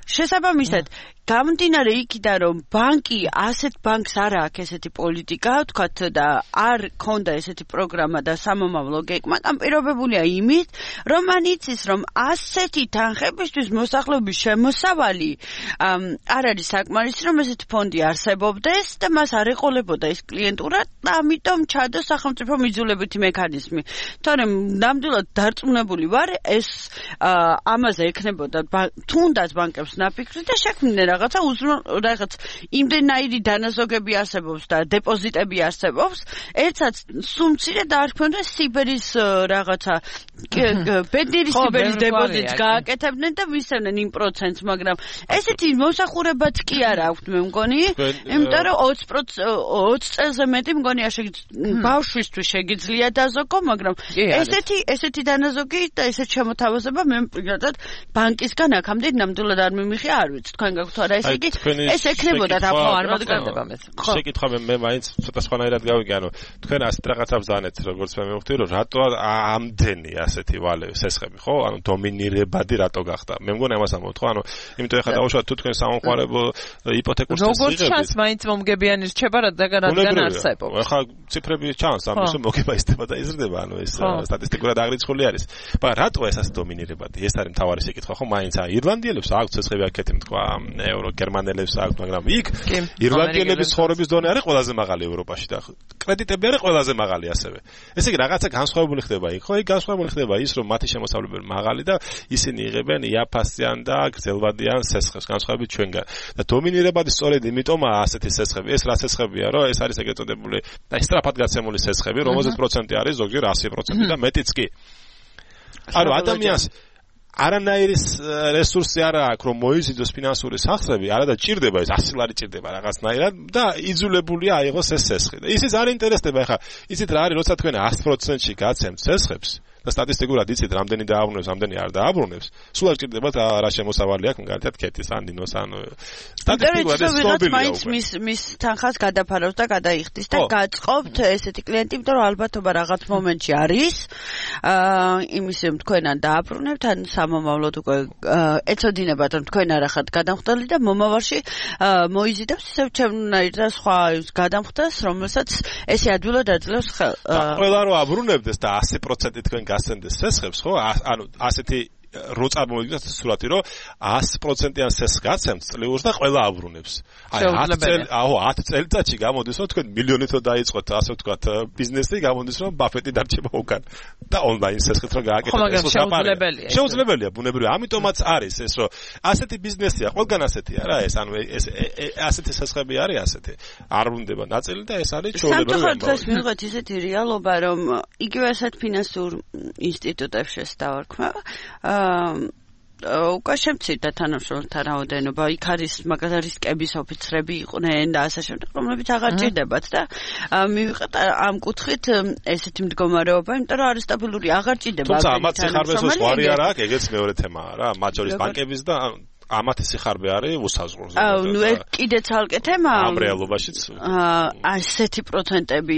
C: შესაბამისად გამომდინარე იქიდან რომ ბანკი ასეთ ბანკს არ აქვს ესეთი პოლიტიკა, ვთქვათ და არ ქონდა ესეთი პროგრამა და სამომავლო გეგმა, განპირობებულია იმით, რომ მან იცის, რომ ასეთი თანხებისთვის მოსახლეობის შემოსავალი არ არის საკმარისი, რომ ესეთი ფონდი არსებობდეს და მას არ ეყოლებოდა ეს კლიენტურა და ამიტომ ჩადო სახელმწიფო მიძულებითი მექანიზმი. თორემ ნამდვილად დარწმუნებული ვარ, ეს ამაზე ექნებოდა თუნდაც ბანკებს ნაფიქრი და შექმნიდნენ რაღაც იმდენაირი დანაზოგები არსებობს და დეპოზიტები არსებობს, ერთსაც სულ მცირე დაარქმევდნენ სიბერის რაღაცა ბედნიერი სიბერის დეპოზიტს გააკეთებდნენ და მისცემდნენ იმ პროცენტს, მაგრამ ესეთი მოსახურებაც კი არ აქვს მე მგონი, იმიტომ რომ 20 წელზე მეტი მგონია ბავშვისთვის შეგიძლია დაზოგო, მაგრამ ესეთი დანაზოგი და ესეთ შემოთავაზება მე პირადად ბანკისგან აქამდე ნამდვილად არ მიმიხია, არ ვიცი, თქვენ გაქვთ და ესე იგი ეს ექნებოდა
B: არ
E: შეკითხვა მე მაინც ცოტა სხვანაირად გავიგე, ანუ თქვენ ასეთ რაღაცას ბრძანეთ, როგორც მე მივხვდი, რომ რატო ამდენი ასეთი ვალე სესხები, ხო? ანუ დომინირებადი რატო გახდა? მე მგონი ამას ამბობთ, ხო? ანუ იმიტომ ეხლა დავუშვათ თუ თქვენ სამომხმარებლო იპოთეკურ წესრიგებს.
B: როგორც ჩანს, მაინც მომგებიანი რჩება, რადგან არსებობს.
E: ეხლა ციფრები ჩანს, ამის რომ მოგება ისდება და იზრდება, ანუ ეს სტატისტიკურად აღრიცხული არის. მაგრამ რატო ეს ასე დომინირებადი? ეს არის მთავარი შეკითხვა, ხო? მაინც ირლანდიელებს აქვს ცეცხლები აქეთ თქვა, ევრო გერმანელებს აქვს, მაგრამ იქ ირლანდიელების ცხოვრების დონე არის ყველაზე მაღალი ევროპაში და კრედიტები არის ყველაზე მაღალი ასევე. ესე იგი რაღაცა განსხვავებული ხდება იქ, ხო? იქ განსხვავებული ხდება ის, რომ მათი შემოსავლები მაღალი და ისინი იღებენ იაფასიან და გრძელვადიან სესხებს განსხვავებით ჩვენგან. და დომინირებადი სწორედ იმიტომაა ასეთი სესხები. ეს რა სესხებია, რომ ეს არის ეგრეთ წოდებული და სწრაფად გაცემული სესხები, რომელზეც პროცენტი არის ზოგჯერ 100% და მეტიც კი. ანუ ადამიანს არანაირი რესურსი არ აქვს, რომ მოიზიდოს ფინანსური სახსრები, არადა ჭირდება ეს 100 ლარი ჭირდება რაღაცნაირად და იძულებულია აიღოს ეს სესხი. და ისიც არ ინტერესდება, ხა, იცით რა არის, როცა თქვენ 100%-ში გაცემთ სესხებს და სტატისტიკურად იცით, რამდენი დააბრუნებს, რამდენი არ დააბრუნებს, სულ არ ჭირდებათ რა შემოსავალი აქვს, მაგალითად, ქეთის ან დინოს ან
C: სტატისტიკურად ეს ცნობილია. მის თანხას გადაფარავს და გადაიხდის და გაწყობთ ესეთი კლიენტი, იმიტომ რომ ალბათობა რაღაც მომენტში არის, იმის რომ თქვენ ან დააბრუნებთ, ან სამომავლოდ უკვე ეცოდინებათ, რომ თქვენ არ ახართ გადამხდელი და მომავალში მოიზიდებს ისევ ჩემნაირ და სხვა გადამხდას, რომელსაც ესე ადვილად აძლევს ხელს.
E: ყველა რო აბრუნებდეს და 100% თქვენ გასცემდეს სესხებს, ხო? ანუ ასეთი რო წარმოვიდგინოთ სურათი, რომ 100%-იან სესხს გაცემთ წლიურს და ყველა აბრუნებს. აი 10 წელიწადში გამოდის, რომ თქვენ მილიონით რო დაიწყოთ, ასე ვთქვათ, ბიზნესი, გამოდის, რომ ბაფეტი დარჩება უკან და ონლაინ სესხით რო გააკეთოთ, ეს
B: შეუძლებელია.
E: შეუძლებელია, ბუნებრივია. ამიტომაც არის ეს, რომ ასეთი ბიზნესია, ყველგან ასეთია რა, ეს ანუ ეს ასეთი სესხები არის ასეთი. არ ვრუნდება ნაწილი და ეს არის ჩვეულებრივი.
C: სამწუხაროდ დღეს მივიღეთ ისეთი რეალობა, რომ იგივე ასეთ ფინანსურ ინსტიტუტებში დავარქმევა. უკვე შემცირდა თანამშრომელთა რაოდენობა, იქ არის მაგალითად რისკების ოფიცრები იყვნენ და ასე შემდეგ, რომლებიც აღარ ჭირდებათ და მივიღეთ ამ კუთხით ესეთი მდგომარეობა, იმიტომ რომ არის სტაბილური, აღარ ჭირდება.
E: თუმცა ამათ სიხარბეს უარი არ აქვს, ეგეც მეორე თემაა რა, მათ შორის ბანკების და ამათი სიხარბე არის უსაზღურო.
C: ნუ კიდე ცალკე თემაა.
E: ამ რეალობაშიც
C: ასეთი პროცენტები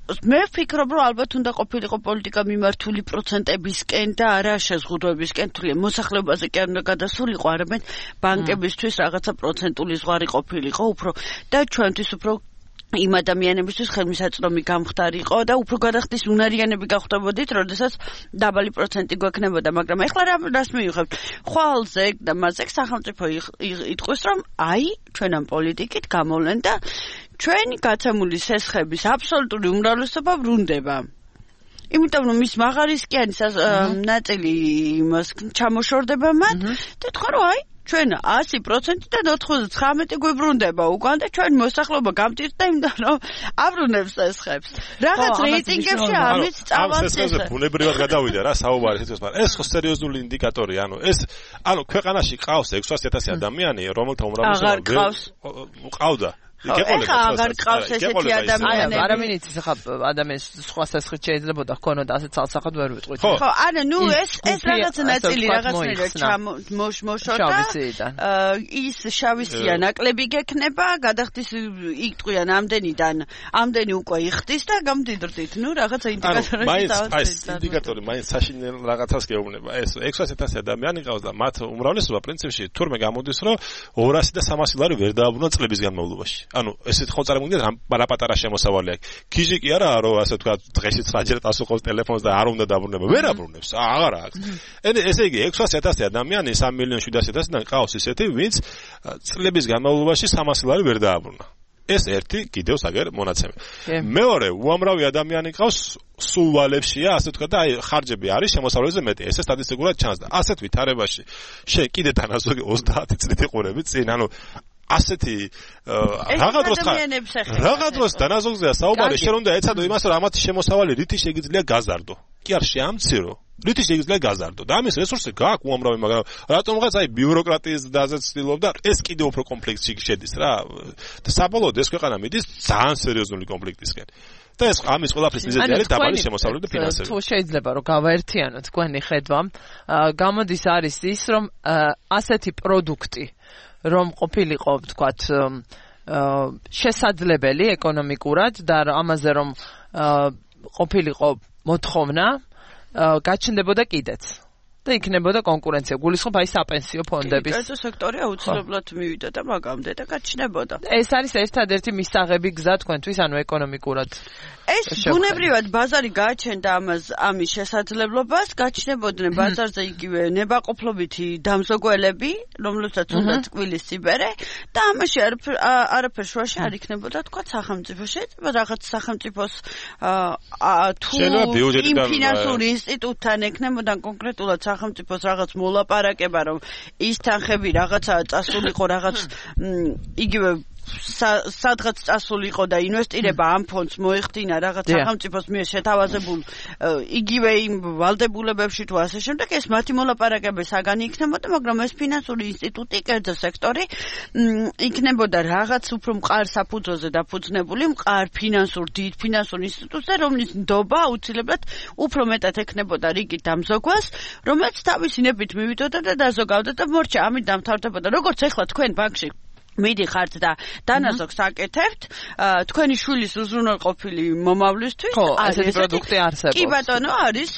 C: მე ვფიქრობ, რომ ალბათ უნდა ყოფილიყო პოლიტიკა მიმართული პროცენტებისკენ და არა შეზღუდვებისკენ, თუმცა მოსახლეობაზე კი არ უნდა გადასულიყო, არამედ ბანკებისთვის რაღაცა პროცენტული ზღვარი ყოფილიყო, უფრო და ჩვენთვის უფრო იმ ადამიანებისთვის ხელმისაწვდომი გამხდარიყო და უფრო გადახდის უნარიანები გახვდებოდით, როდესაც დაბალი პროცენტი გვექნებოდა, მაგრამ ეხლა რას მივიღებთ? ხვალზე და მასზე სახელმწიფო იტყვის, რომ აი, ჩვენ ამ პოლიტიკით გამოვლენ და ჩვენი გაცემული სესხების აბსოლუტური უმრავლესობა ბრუნდება. იმიტომ რომ მის მაღარისკიანი ნაწილი იმას ჩამოშორდება მათ და თქვა რომ აი ჩვენ 100%-დან 99 გვიბრუნდება უკან და ჩვენი მოსახლეობა გამტირდა იმდან რომ აბრუნებს სესხებს. რაღაც რეიტინგებში ამით წავას
E: სესხებზე ბუნებრივად გადავიდა რა საუბარი თითქოს, მაგრამ ეს ხო სერიოზული ინდიკატორი, ანუ ქვეყანაში ყავს 600,000 ადამიანი, რომელთა უმრავლესობა ყავდა.
C: ეხლა აღარ ყავს ესეთი ადამიანები.
B: არამედ იცის ახლა ადამიანს სხვა სასხით შეიძლება ჰქონოდა ასეთ ცალსახად ვერ ვიტყვით.
C: ხო, არა, ნუ ეს რაღაც ნაწილი რაღაცნაირად მოშორდა. ის შავისია ნაკლები გექნება, გადახდის იტყვიან ამდენი უკვე იხდის და გამდიდრდით. ნუ რაღაცა ინდიკატორები
E: დავაწყეთ. ინდიკატორი მაინც საშინელ რაღაცას გეუბნება. ეს 600,000 ადამიანი ყავს და მათ უმრავლესობა პრინციპში თურმე გამოდის, რომ 200 და 300 ლარი ვერ დააბრუნა წლების განმავლობაში. ანუ ესეთ ხო წარმოგიდგენთ რა პატარა შემოსავალი აქვს. ქიჟი კი არა, რომ ასე თქვა დღეში 9-ჯერ დასუყოს ტელეფონს და არ უნდა დაბრუნება. ვერ აბრუნებს, აღარ აქვს. ესე იგი 600,000 ადამიანი 3,700,000-დან ყავს ისეთი, ვინც წლების განმავლობაში 300 ლარი ვერ დააბრუნა. ეს ერთი კიდევ საგერ მონაცემი. მეორე, უამრავი ადამიანი ყავს სულ ვალებშია, ასე თქვა და აი ხარჯები არის შემოსავლებზე მეტი. ეს სტატისტიკურად ჩანს და ასეთ ვითარებაში შენ კიდე დანაზოგი 30 წლით იყურები წინ, ანუ ასეთი რაღაც დროს დანაზოგზეა საუბარი, შენ უნდა ეცადო იმას, რომ ამათი შემოსავალი რითი შეგიძლია გაზარდო. კი არ შეამცირო. რითი შეგიძლია გაზარდო და ამის რესურსი გააქვს უამრავი, მაგრამ რატომღაც აი ბიუროკრატიის დაზეც ცდილობდა, ეს კიდევ უფრო კონფლიქტში შედის რა. და საბოლოოდ ეს ქვეყანა მიდის ძალიან სერიოზული კონფლიქტისკენ. და ეს ამის ყველაფრის მიზეზი არის დაბალი შემოსავლები და ფინანსები.
B: თუ შეიძლება რომ გავაერთიანოთ თქვენი ხედვა, გამოდის არის ის, რომ ასეთი პროდუქტი რომ ყოფილიყო ვთქვათ შესაძლებელი ეკონომიკურად და ამაზე რომ ყოფილიყო მოთხოვნა გაჩნდებოდა კიდეც და იქნებოდა კონკურენცია. გულისხმობ აი საპენსიო ფონდების.
C: კერძო სექტორი აუცილებლად მივიდა და მაგამდე და გაჩნდებოდა.
B: ეს არის ერთადერთი მისაღები გზა თქვენთვის, ანუ ეკონომიკურად.
C: ეს ბუნებრივად ბაზარი გააჩენდა ამის შესაძლებლობას, გაჩნდებოდნენ ბაზარზე იგივე ნებაყოფლობითი დამზოგველები, რომლებსაც უნდა წკვილის სიბერე და ამაში არაფერ შუაში არ იქნებოდა თქვა სახელმწიფოში, რაღაც სახელმწიფოს თუ იმ ფინანსური ინსტიტუტთან ექნებოდა კონკრეტულად სახელმწიფოს რაღაც მოლაპარაკება, რომ ის თანხები რაღაცაა წასულიყო, რაღაც იგივე სადღაც წასულიყო და ინვესტირება ამ ფონდს მოეხდინა რაღაც სახელმწიფოს მიერ შეთავაზებულ იგივე იმ ვალდებულებებში თუ ასე შემდეგ, ეს მათი მოლაპარაკება საგანი იქნებოდა, მაგრამ ეს ფინანსური ინსტიტუტი, კერძო სექტორი იქნებოდა რაღაც უფრო მყარ საფუძველზე დაფუძნებული, მყარ დიდ ფინანსურ ინსტიტუტზე, რომლის ნდობა აუცილებლად უფრო მეტად ექნებოდა რიგით დამზოგვას, რომელიც თავისი ნებით მივიდოდა და დაზოგავდა და მორჩა, ამით დამთავრდებოდა. როგორც ეხლა თქვენ ბანკში მიდიხართ და დანაზოგს აკეთებთ, თქვენი შვილის უზრუნველყოფილი მომავლისთვის
B: ასეთი პროდუქტი არსებობს.
C: კი ბატონო, არის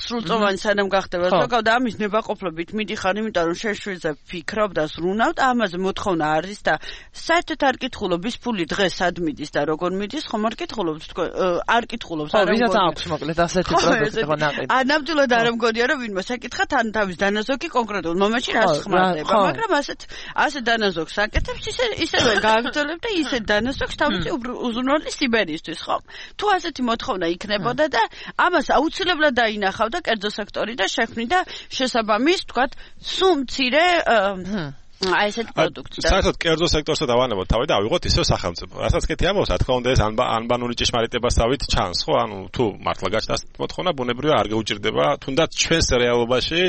C: სრულწლოვანი სანამ გახდება ზოგავ და ამის ნებაყოფლობით მიდიხარ, იმიტომ რომ შეშვილზე ფიქრობ და ზრუნავ და ამაზე მოთხოვნა არის და საერთოდ არ კითხულობ ის ფული დღეს სად მიდის და როგორ მიდის, ხომ არ კითხულობთ თქვენ, არ კითხულობთ
B: არა ვისაც აქვს მოკლედ ასეთი პროდუქტი ხო ნაყიდი.
C: ნამდვილად არ მგონია რომ ვინმე საკითხა თან თავის დანაზოგი კონკრეტულ მომენტში რას ხმარდება, მაგრამ ასეთ დანაზოგს აკეთებს, ისევე გააგრძელებ და ისე დანაზოგს თავისი უზრუნველი სიბერისთვის, ხო? თუ ასეთი მოთხოვნა იქნებოდა და ამას აუცილებლად დაინახავდა კერძო სექტორი და შექმნიდა შესაბამის, თქვათ, სულ მცირე აი ესეთ პროდუქტი.
E: საერთოდ კერძო სექტორსა დავანებოთ თავი და ავიღოთ ისევ სახელმწიფო. რასაც კეთი ამბობს, რა თქმა უნდა ეს ანბანური ჭეშმარიტებასავით ჩანს, ხო? ანუ თუ მართლა გაჩნდა მოთხოვნა, ბუნებრივია არ გეუჭირდება თუნდაც ჩვენს რეალობაში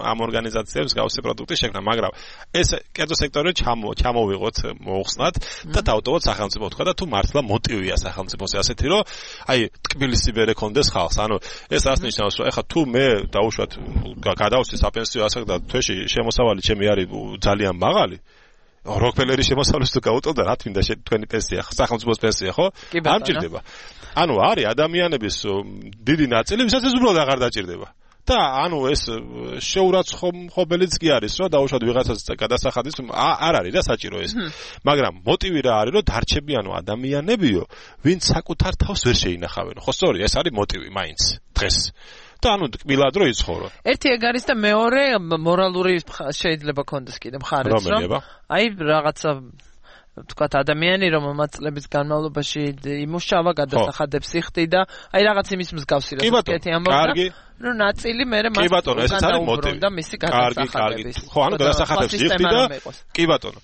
E: ამ ორგანიზაციებს გავსი პროდუქტი შექმნა, მაგრამ ეს კერძო სექტორი ჩამოვიღოთ მოუხსნათ და დავტოვოთ სახელმწიფო თქვა და თუ მართლა მოტივია სახელმწიფოს ასეთი, რომ აი ტკბილისი ვერ ეკონდეს ხალხს. ანუ ეს რას ნიშნავს, რომ ეხლა თუ მე დაუშვათ გადავსვი საპენსიო ასაკ და თვეში შემოსავალი ჩემი არის ძალიან მაღალი როკფელერის შემოსავლას თუ გაუტოვდა რა თქმა უნდა თქვენი პენსია სახელმწიფოს პენსია ხო არ მჭირდება ანუ არის ადამიანების დიდი ნაწილი ვისაც ეს უბრალოდ აღარ დაჭირდება და ანუ ეს შეურაცხმობელიც კი არის რომ დაუშვათ ვიღაცას გადასახადის არ არის რა საჭირო ეს მაგრამ მოტივი რა არის რომ დარჩებიანო ადამიანებიო ვინც საკუთარ თავს ვერ შეინახავენ ხო სწორი ეს არის მოტივი მაინც დღეს და ანუ კბილად რო იცხოვრო.
B: ერთი ეგ არის და მეორე მორალური შეიძლება კონდეს კიდე მხარეც რომ აი რაღაცა თქვათ ადამიანი რომელმაც წლების განმავლობაში იმუშავა, გადასახადებს იხდიდა, აი რაღაც იმის მსგავსი რასაკეთი ამბობდა. ნუ ნაწილი მერე მას უბრუნდა მისი გადასახადების.
E: ხო, ანუ გადასახადებს იხდიდა. კი ბატონო.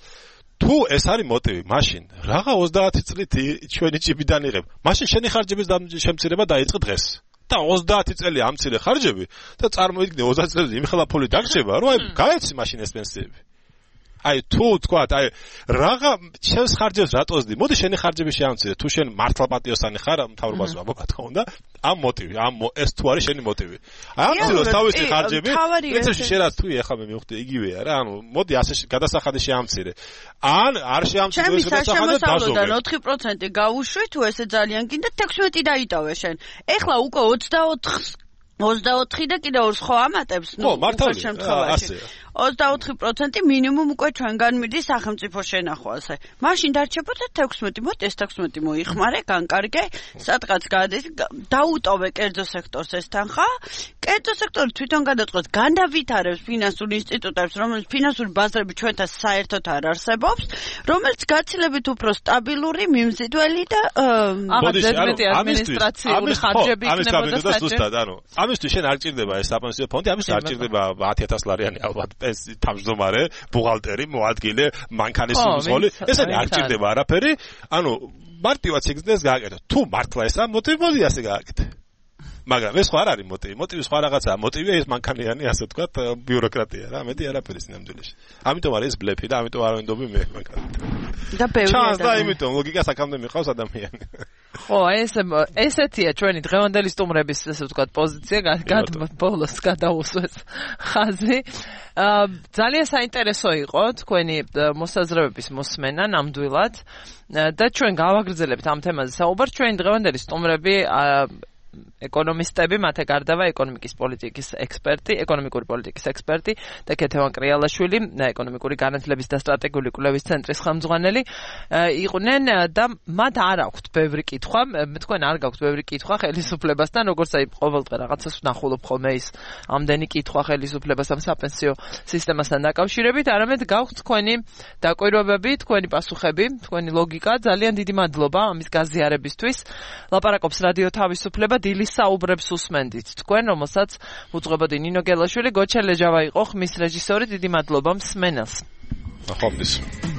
E: თუ ეს არის მოტივი, მაშინ რაღა 30 წლით ჩვენი ჭიბიდან იღებ. მაშინ შენი ხარჯების შემცირება დაიწყე დღეს. და 30 წელი ამცირე ხარჯები და წარმოიდგინე 30 წელი იმხელა ფული დაგრჩება, რომ აი გაეცი მაშინ ეს პენსიები. აი თუ თქვათ, აი რაღა შენს ხარჯებს რატოსდი? მოდი შენი ხარჯები შეამცირე. თუ შენ მართლა პატიოსანი ხარ, მთავრობას ვაბო, რა თქმა უნდა, ამ მოტივი, ეს თუ არის შენი მოტივი. ამციროს თავისი ხარჯები, პრინციპში შენ რაც თუ ეხლა მე მივხვდი იგივეა რა, ანუ მოდი ასე გადასახადი შეამცირე. ან არ შეამცირე ეს გადასახადი
C: დაზოგე. 4% გაუშვი თუ ესე ძალიან გინდა 16 დაიტოვე შენ. ეხლა უკვე 24 და კიდე ორს ხო ამატებს,
E: ნუ მართალია შემთხვევაში.
C: 24% მინიმუმ უკვე ჩვენგან მიდის სახელმწიფო შენახვაზე. მაშინ დარჩებოდა 16, მოდი ეს 16 მოიხმარე, განკარგე, სადღაც გადის, დაუტოვე კერძო სექტორს ეს თანხა. კერძო სექტორი თვითონ გადაწყვეტს, განავითარებს ფინანსურ ინსტიტუტებს, რომელიც ფინანსური ბაზრები ჩვენთან საერთოდ არ არსებობს, რომელიც გაცილებით უფრო სტაბილური, მიმზიდველი და
B: ადმინისტრაციული ხარჯები იქნებოდა
E: საჭირო. ანუ ამისთვის შენ არ ჭირდება ეს საპენსიო ფონდი, ამისთვის არ ჭირდება 10,000 ლარიანი ალბათ თავმჯდომარე, ბუღალტერი, მოადგილე, მანქანის მსხვილი, ესენი არ ჭირდება არაფერი, ანუ მარტივად სიგრძეს გააკეთო. თუ მართლა ესა მოტივი მოდი ასე გააკეთე. მაგრამ ეს ხო არ არის მოტივი, მოტივი სხვა რაღაცაა, მოტივია ეს მანქანიანი, ასე ვთქვათ, ბიუროკრატია რა, მეტი არაფერი სინამდვილეში. ამიტომ არის ეს ბლეფი და ამიტომ არ ვინდობი მე მანქანით.
C: და ბევრი
E: ჩანს და იმიტომ ლოგიკას აქამდე მიყავს ადამიანი.
B: ხო, ესეთია ჩვენი დღევანდელი სტუმრების ესე ვთქვათ პოზიცია, ბოლოს გადაუსვეს ხაზი. ძალიან საინტერესო იყო თქვენი მოსაზრებების მოსმენა ნამდვილად და ჩვენ გავაგრძელებთ ამ თემაზე საუბარს. ჩვენი დღევანდელი სტუმრები ეკონომისტები, მათე გარდავა ეკონომიკის პოლიტიკის ექსპერტი, ეკონომიკური პოლიტიკის ექსპერტი და ქეთევან კრიალაშვილი, ეკონომიკური განათლების და სტრატეგიული კვლევის ცენტრის ხელმძღვანელი იყვნენ და მათ არ აქვთ ბევრი კითხვა, თქვენ არ გაქვთ ბევრი კითხვა ხელისუფლებასთან, როგორც აი ყოველდღე რაღაცას ვნახულობ ხოლმე ის ამდენი კითხვა ხელისუფლებასთან საპენსიო სისტემასთან დაკავშირებით, არამედ გაქვთ თქვენი დაკვირვებები, თქვენი პასუხები, თქვენი ლოგიკა. ძალიან დიდი მადლობა ამის გაზიარებისთვის. ლაპარაკობს რადიო თავისუფლება, დილის საუბრებს უსმენდით თქვენ, რომელსაც უძღვებოდი ნინო გელაშვილი, გოჩა ლეჯავა იყო ხმის რეჟისორი. დიდი მადლობა მსმენელს.
E: ნახვამდის.